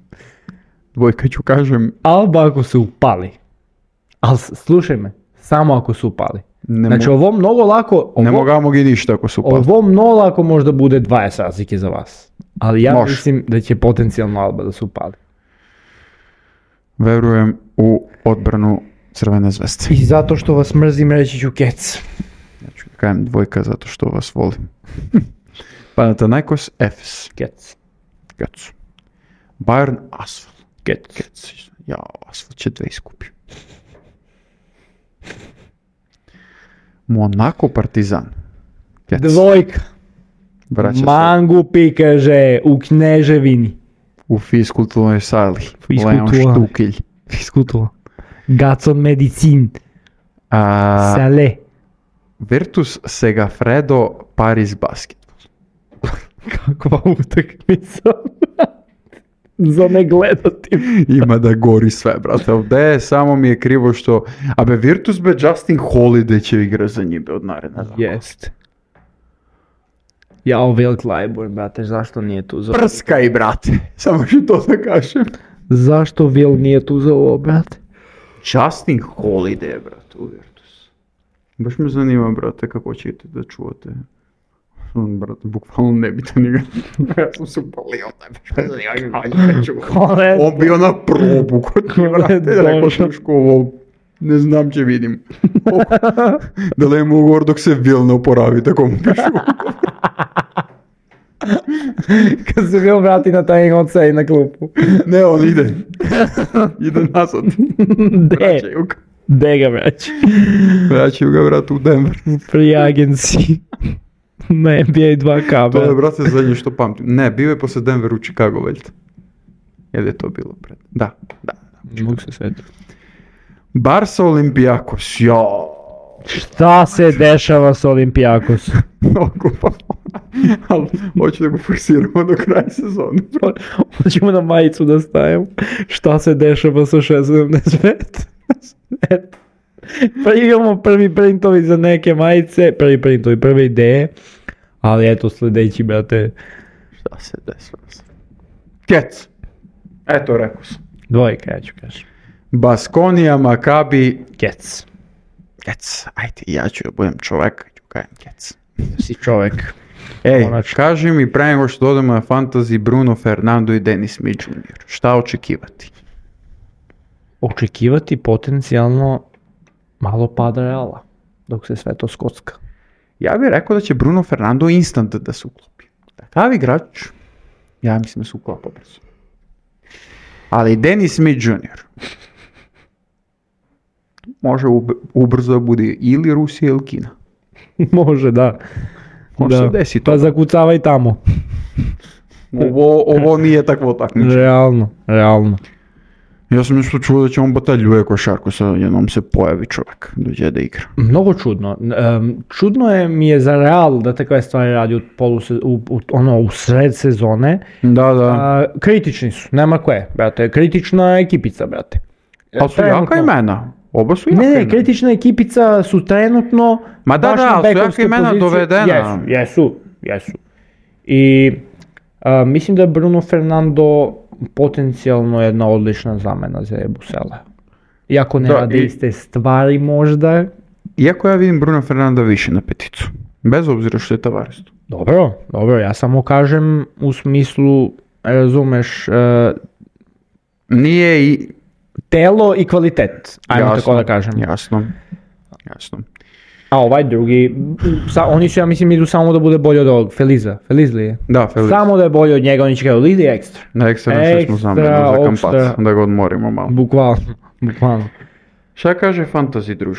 Dvojka ću kažem, Alba ako se upali. Ali slušaj me, samo ako se upali. ne, Znači mo- ovo mnogo lako, ne ovo, mogamo gi ništa ako su upali. ovo mnogo lako možda bude dvadeset razlike za vas. Ali ja Može. mislim da će potencijalno Alba da se upali. Verujem u odbranu Crvene zvezde. I zato što vas mrzim, reći ću Kec. Ja ću kajem dvojka zato što vas volim. Panathinaikos Efes. Kec. Kec. Bayern Asvel. Kec. Kec. Ja, Asvel će dve iskupi. Monako Partizan. Kec. Dvojka. Vraća se Mangupi, kaže, u Kneževini. u fiskulturnoj sali. Fiskultura. Leon Štukilj. Fiskultura. Gacon Medicin. A, Sale. Virtus Segafredo Paris Basket. Kakva utakmica. Za ne gledati. Ima da gori sve, brate. Ovdje samo mi je krivo što... A be Virtus be Justin Holiday će igra za njih od naredne. Jest. Jao, Will Clyburn, brate, zašto nije tu za... Prskaj, brate. Samo ću to da kažem. Zašto Will nije tu za ovo, brate? Justin Holiday, brate, u Virtus. Baš me zanima, brate, kako ćete da čuvate. On, brate, bukvalno nebitan igra. Ja sam se upalio, baš me zanima kako ćete čuvati. On bio na probu kod njih, brate, rekao Šuško ovo. Ne znam, će vidim. Da li je mogu govor dok se Will ne oporavi, tako mu pišu. Kad se Will vrati na taj oca i na klupu. Ne, on ide. Ide nazad. De, Vraćaju ga. de ga vraći. Vraćaju ga, brate, u Denver. Free agency. Na N B A dva K, To je, brate. brate, zadnje što pamtim. Ne, bio je posle Denver u Chicago, veljte. Jel je to bilo pred? Da, da. Mogu se svetiti. Barca Olympiakos, jo. Šta se dešava s Olimpijakosom? Mnogo pa. Ali hoću da ga forsiramo do kraja sezone. Hoćemo na majicu da stavimo. Šta se dešava sa šest sedamdeset pet? Eto. Pa imamo prvi printovi za neke majice, prvi printovi, prve ideje. Ali eto sljedeći, brate, Šta se desilo? Kec. Eto, rekao sam. dvojka, ja ću kažem. Baskonija, Makabi, Kec. Kec. Ajde, ja ću da budem čovek, ću kajem Kec. Si čovek. Ej, Konačno. kaži mi pre nego što dodamo na fantasy Bruno Fernando i Dennis Smith junior Šta očekivati? Očekivati potencijalno malo pada Reala, dok se sve to skocka. Ja bih rekao da će Bruno Fernando instant da se uklopi. Takav igrač, ja mislim da se uklapa brzo. Ali Dennis Smith junior može ub- ubrzo da bude ili Rusija ili Kina. Može, da. Može Da. se desi to. Pa zakucavaj tamo. Ovo, ovo nije takvo takmičenje. Realno, realno. Ja sam nešto čuo da će on bataljuje košarku, sa jednom se pojavi čovjek, dođe da igra. Mnogo čudno. Um, čudno je mi je za Real da takve stvari radi u, poluse, u, u, ono, u sred sezone. Da, da. A, kritični su, nema koje, brate. Kritična ekipica, brate. Ali su jaka imena. Oba su jaka Ne, ne, imena. kritična ekipica su trenutno Ma da, baš da, na ali su jaka bekovskoj imena poziciji. dovedena. Jesu, jesu, jesu. I a, mislim da je Bruno Fernando potencijalno jedna odlična zamena za Ebusele. Iako ne Da, rade i- iste stvari možda. Iako ja vidim Bruno Fernanda više na peticu. Bez obzira što je Tavares tu. Dobro, dobro, ja samo kažem u smislu, razumeš, e, Nije i... telo i kvalitet, ajmo tako da kažem. Jasno, jasno. A ovaj drugi, sa, oni su, ja mislim, idu samo da bude bolji od ovog, Feliza, Feliz li je? Da, Feliz. Samo da je bolji od njega, oni će kao lidi ekstra. Na ekstra što smo Ekstra, zamenu za opšta. kampac, da ga odmorimo malo. Bukvalno, bukvalno. Šta kaže fantasy druž?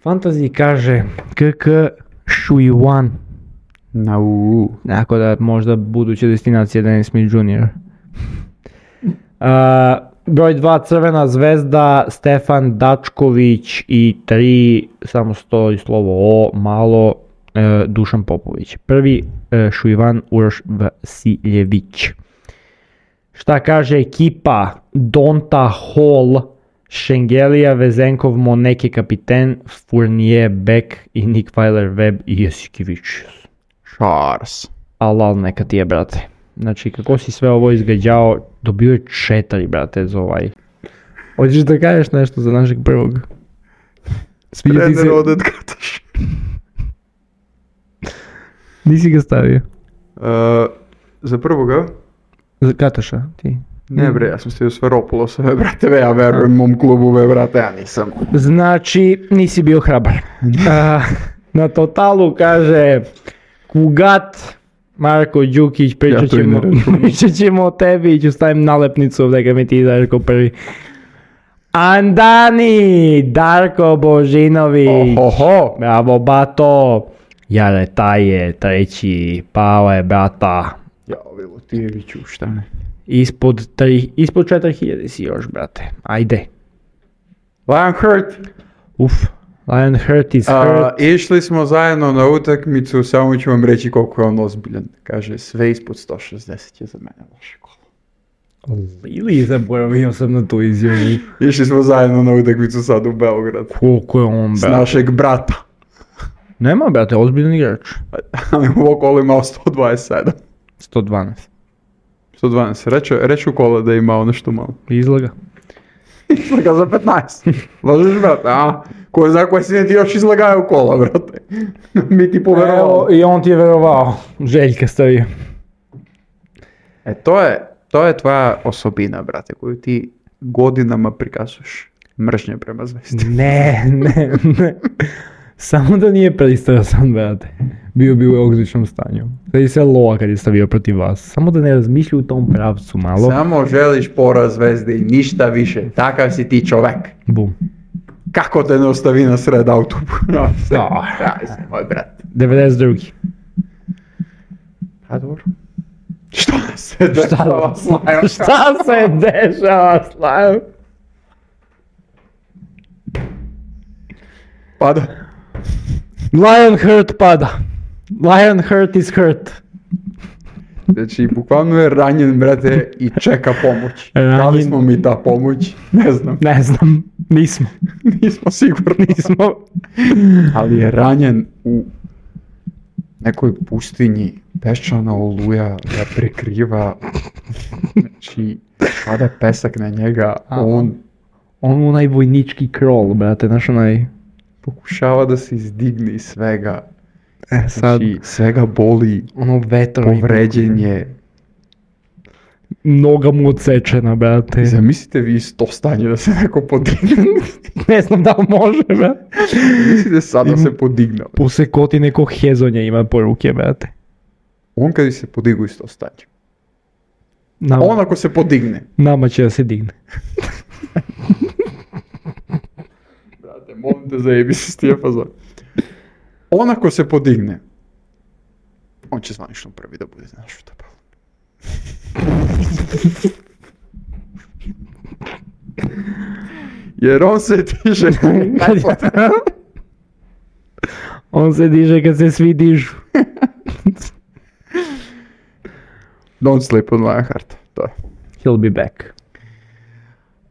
Fantasy kaže K K Shuiwan, Na u. tako da možda buduća destinacija Dennis Smith junior Uh, broj dva Crvena zvezda, Stefan Dačković i tri, samo stoji slovo O, malo, uh, Dušan Popović. Prvi uh, Šuivan Uroš Vasiljević. Šta kaže ekipa? Donta Hall, Šengelija, Vezenkov, Moneke kapiten, Fournier, Beck i Nick Weiler-Webb i Jesikivić. Charles. Alal neka ti je, brate. Znači, kako si sve ovo izgađao, dobio je četiri, brate, za ovaj. Hoćeš da kažeš nešto za našeg prvog? Sviđa ti se? Trener odet Kataš. Nisi ga stavio. Uh, za prvoga? Za Kataša, ti. Ne bre, ja sam svi u Sferopulosa, ve brate, ve, ja verujem mom klubu, ve brate, ja nisam. Znači, nisi bio hrabar. A, na totalu kaže Kugat, Marko Đukić, pričat Ja to i ćemo, ne računam. pričat ćemo o tebi i ću stavim nalepnicu ovdje kad mi ti daš ko prvi. Andani, Darko Božinović. Oho, Bravo, bato. Jare, taj je treći, pao je, brata. ja, Vilutijeviću, šta ne. Ispod, tri, ispod četiri hiljade si još, brate. Ajde. Lionheart, Uf, Lionheart is a, hurt. išli smo zajedno na utakmicu, samo ću vam reći koliko je on ozbiljan. Kaže, sve ispod sto šezdeset je za mene loše kolo. Ili zaboravio sam na tu izjavu. Išli smo zajedno na utakmicu sad u Beograd. Koliko je on, S brate? našeg brata. Nema, brate, ozbiljan igrač. Ali u ovo kolo imao sto dvadeset sedam. sto dvanaest. sto dvanaest, reću, reću kola da je imao nešto malo. Izlaga. Izlaga za petnaest. Lažeš, brate, a? Ko zna koje si ne ti još izlagaju kola, brate. Mi ti Evo, poverovali. i on ti je verovao. Željka stavio. E, to je, to je tvoja osobina, brate, koju ti godinama prikazuješ. Mržnje prema zvezdi. Ne, ne, ne. Samo da nije pristrasan, brate. Bio bi u odličnom stanju. Sada se loa kad je stavio protiv vas. Samo da ne razmišlja u tom pravcu malo. Samo želiš poraz zvezde i ništa više. Takav si ti čovek. Bum. Kako te ne ostavi na sred autobusa? No, sve. Da. Daj se, moj brat. devedeset drugi. A dobro. Šta se dešava s Lion? Šta se dešava s Lion? Pada. Lionheart pada. Lionheart is hurt. Znači, bukvalno je ranjen, brate, i čeka pomoć. Ranjen. Da li smo mi ta pomoć? Ne znam. Ne znam, nismo. Nismo sigurni. Nismo. Ali je ranjen u nekoj pustinji. Peščana oluja ga prekriva. Znači, pada pesak na njega. A. On On onaj vojnički krol, brate, znaš onaj... pokušava da se izdigne iz svega. E, sad, Znači, svega boli. ono vetro... Povređen je. Noga mu odsečena, brate. Zamislite vi iz to stanje da se neko podigne. Ne znam da li može, brate. Mislite sad da se podigne. Posekoti neko hezonja ima po ruke, brate. On kad bi se podigao iz to stanje. Nama, On ako se podigne. nama će da se digne. Brate, molim te zajebi se s tije fazon. On ako se podigne, on će zvanično prvi da bude naš u tabalu. Jer on se diže. On se diže kad se svi dižu. Don't sleep on my heart. To je. He'll be back.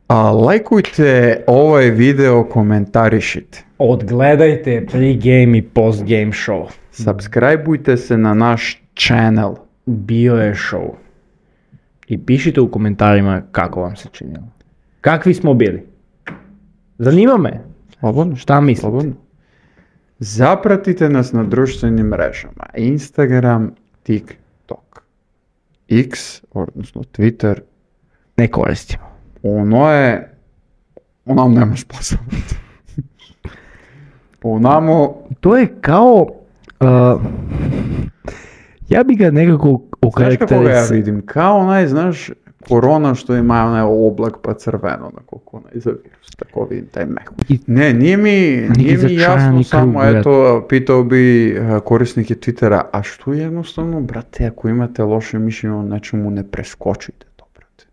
A lajkujte ovaj video, komentarišite. Odgledajte pre-game i post-game show. Subscribeujte se na naš channel. Bio je show. I pišite u komentarima kako vam se činilo. Kakvi smo bili? Zanima me. Slobodno. Šta mislite? Slobodno. Zapratite nas na društvenim mrežama. Instagram, TikTok. X, odnosno Twitter. Ne koristimo. Ono je... Ono nam nema spasa. Onamo... To je kao... Uh, ja bi ga nekako Znaš kako ga ja okarakterisao. vidim? Kao onaj, znaš, korona što ima onaj oblak pa crveno, onako kako onaj za virus. Tako vidim taj mehu. I- Ne, nije mi, nije mi začarani jasno krug, samo, brate. eto, pitao bi uh, korisnike Twittera, a što jednostavno, brate, ako imate loše mišljenje o nečemu, ne preskočite to, brate.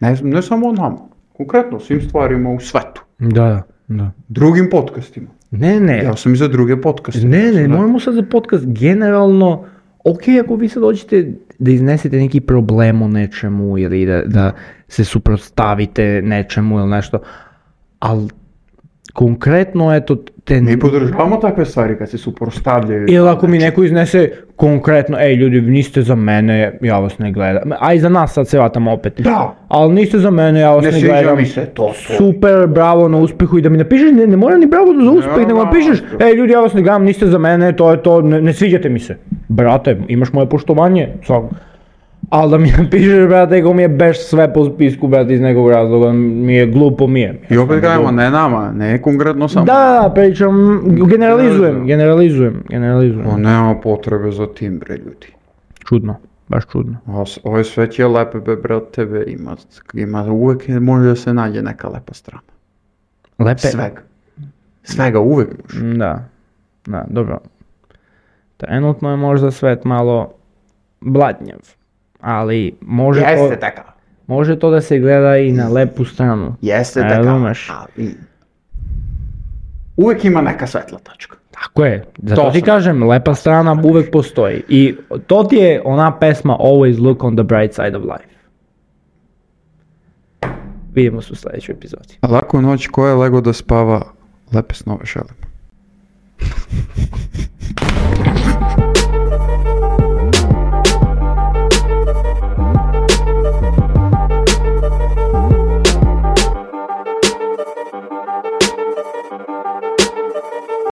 Ne, ne samo o nama, konkretno, svim stvarima u svetu, Da, da. drugim podcastima. Ne, ne. Ja sam i za druge podcaste. Ne, ne, Da. moramo sad za podcast generalno, ok, ako vi sad hoćete da iznesete neki problem o nečemu ili da, da se suprotstavite nečemu ili nešto, ali konkretno eto te... Mi podržavamo takve stvari kad se suprotstavljaju. Ili ako mi neko iznese konkretno, ej ljudi, niste za mene, ja vas ne gledam. A i za nas sad se vatamo opet. Da. Ali niste za mene, ja vas Ne ne, sviđa gledam. mi se to, to. Super, bravo na uspehu i da mi napišeš, ne, ne mora ni bravo za uspeh, nego Nema napišeš, što. ej ljudi, ja vas ne gledam, niste za mene, to je to, ne, ne sviđate mi se. Brate, imaš moje poštovanje, svak. Ali da mi napišeš, brate, ko mi je beš sve po spisku, brate, iz nekog razloga, mi je glupo, mi je. I opet gledamo, ne nama, ne konkretno samo. Da, da, pričam, generalizujem, generalizujem, generalizujem. O, nema potrebe za tim, bre, ljudi. Čudno, baš čudno. Ove sve je lepe, be, brate, tebe ima, ima, uvek može da se nađe neka lepa strana. Lepe? Svega. Svega, uvek može. Da, da, dobro. Trenutno je možda svet malo blatnjav, ali može to... Jeste takav. Može to da se gleda i na lepu stranu. Jeste Ne takav, razumeš? ali... Uvek ima neka svetla tačka. Tako je, zato To ti sam. kažem, lepa strana uvek postoji. I to ti je ona pesma Always Look on the Bright Side of Life. Vidimo se u sljedećoj epizodi. Laku noć, ko je lego da spava, lepe snove želim.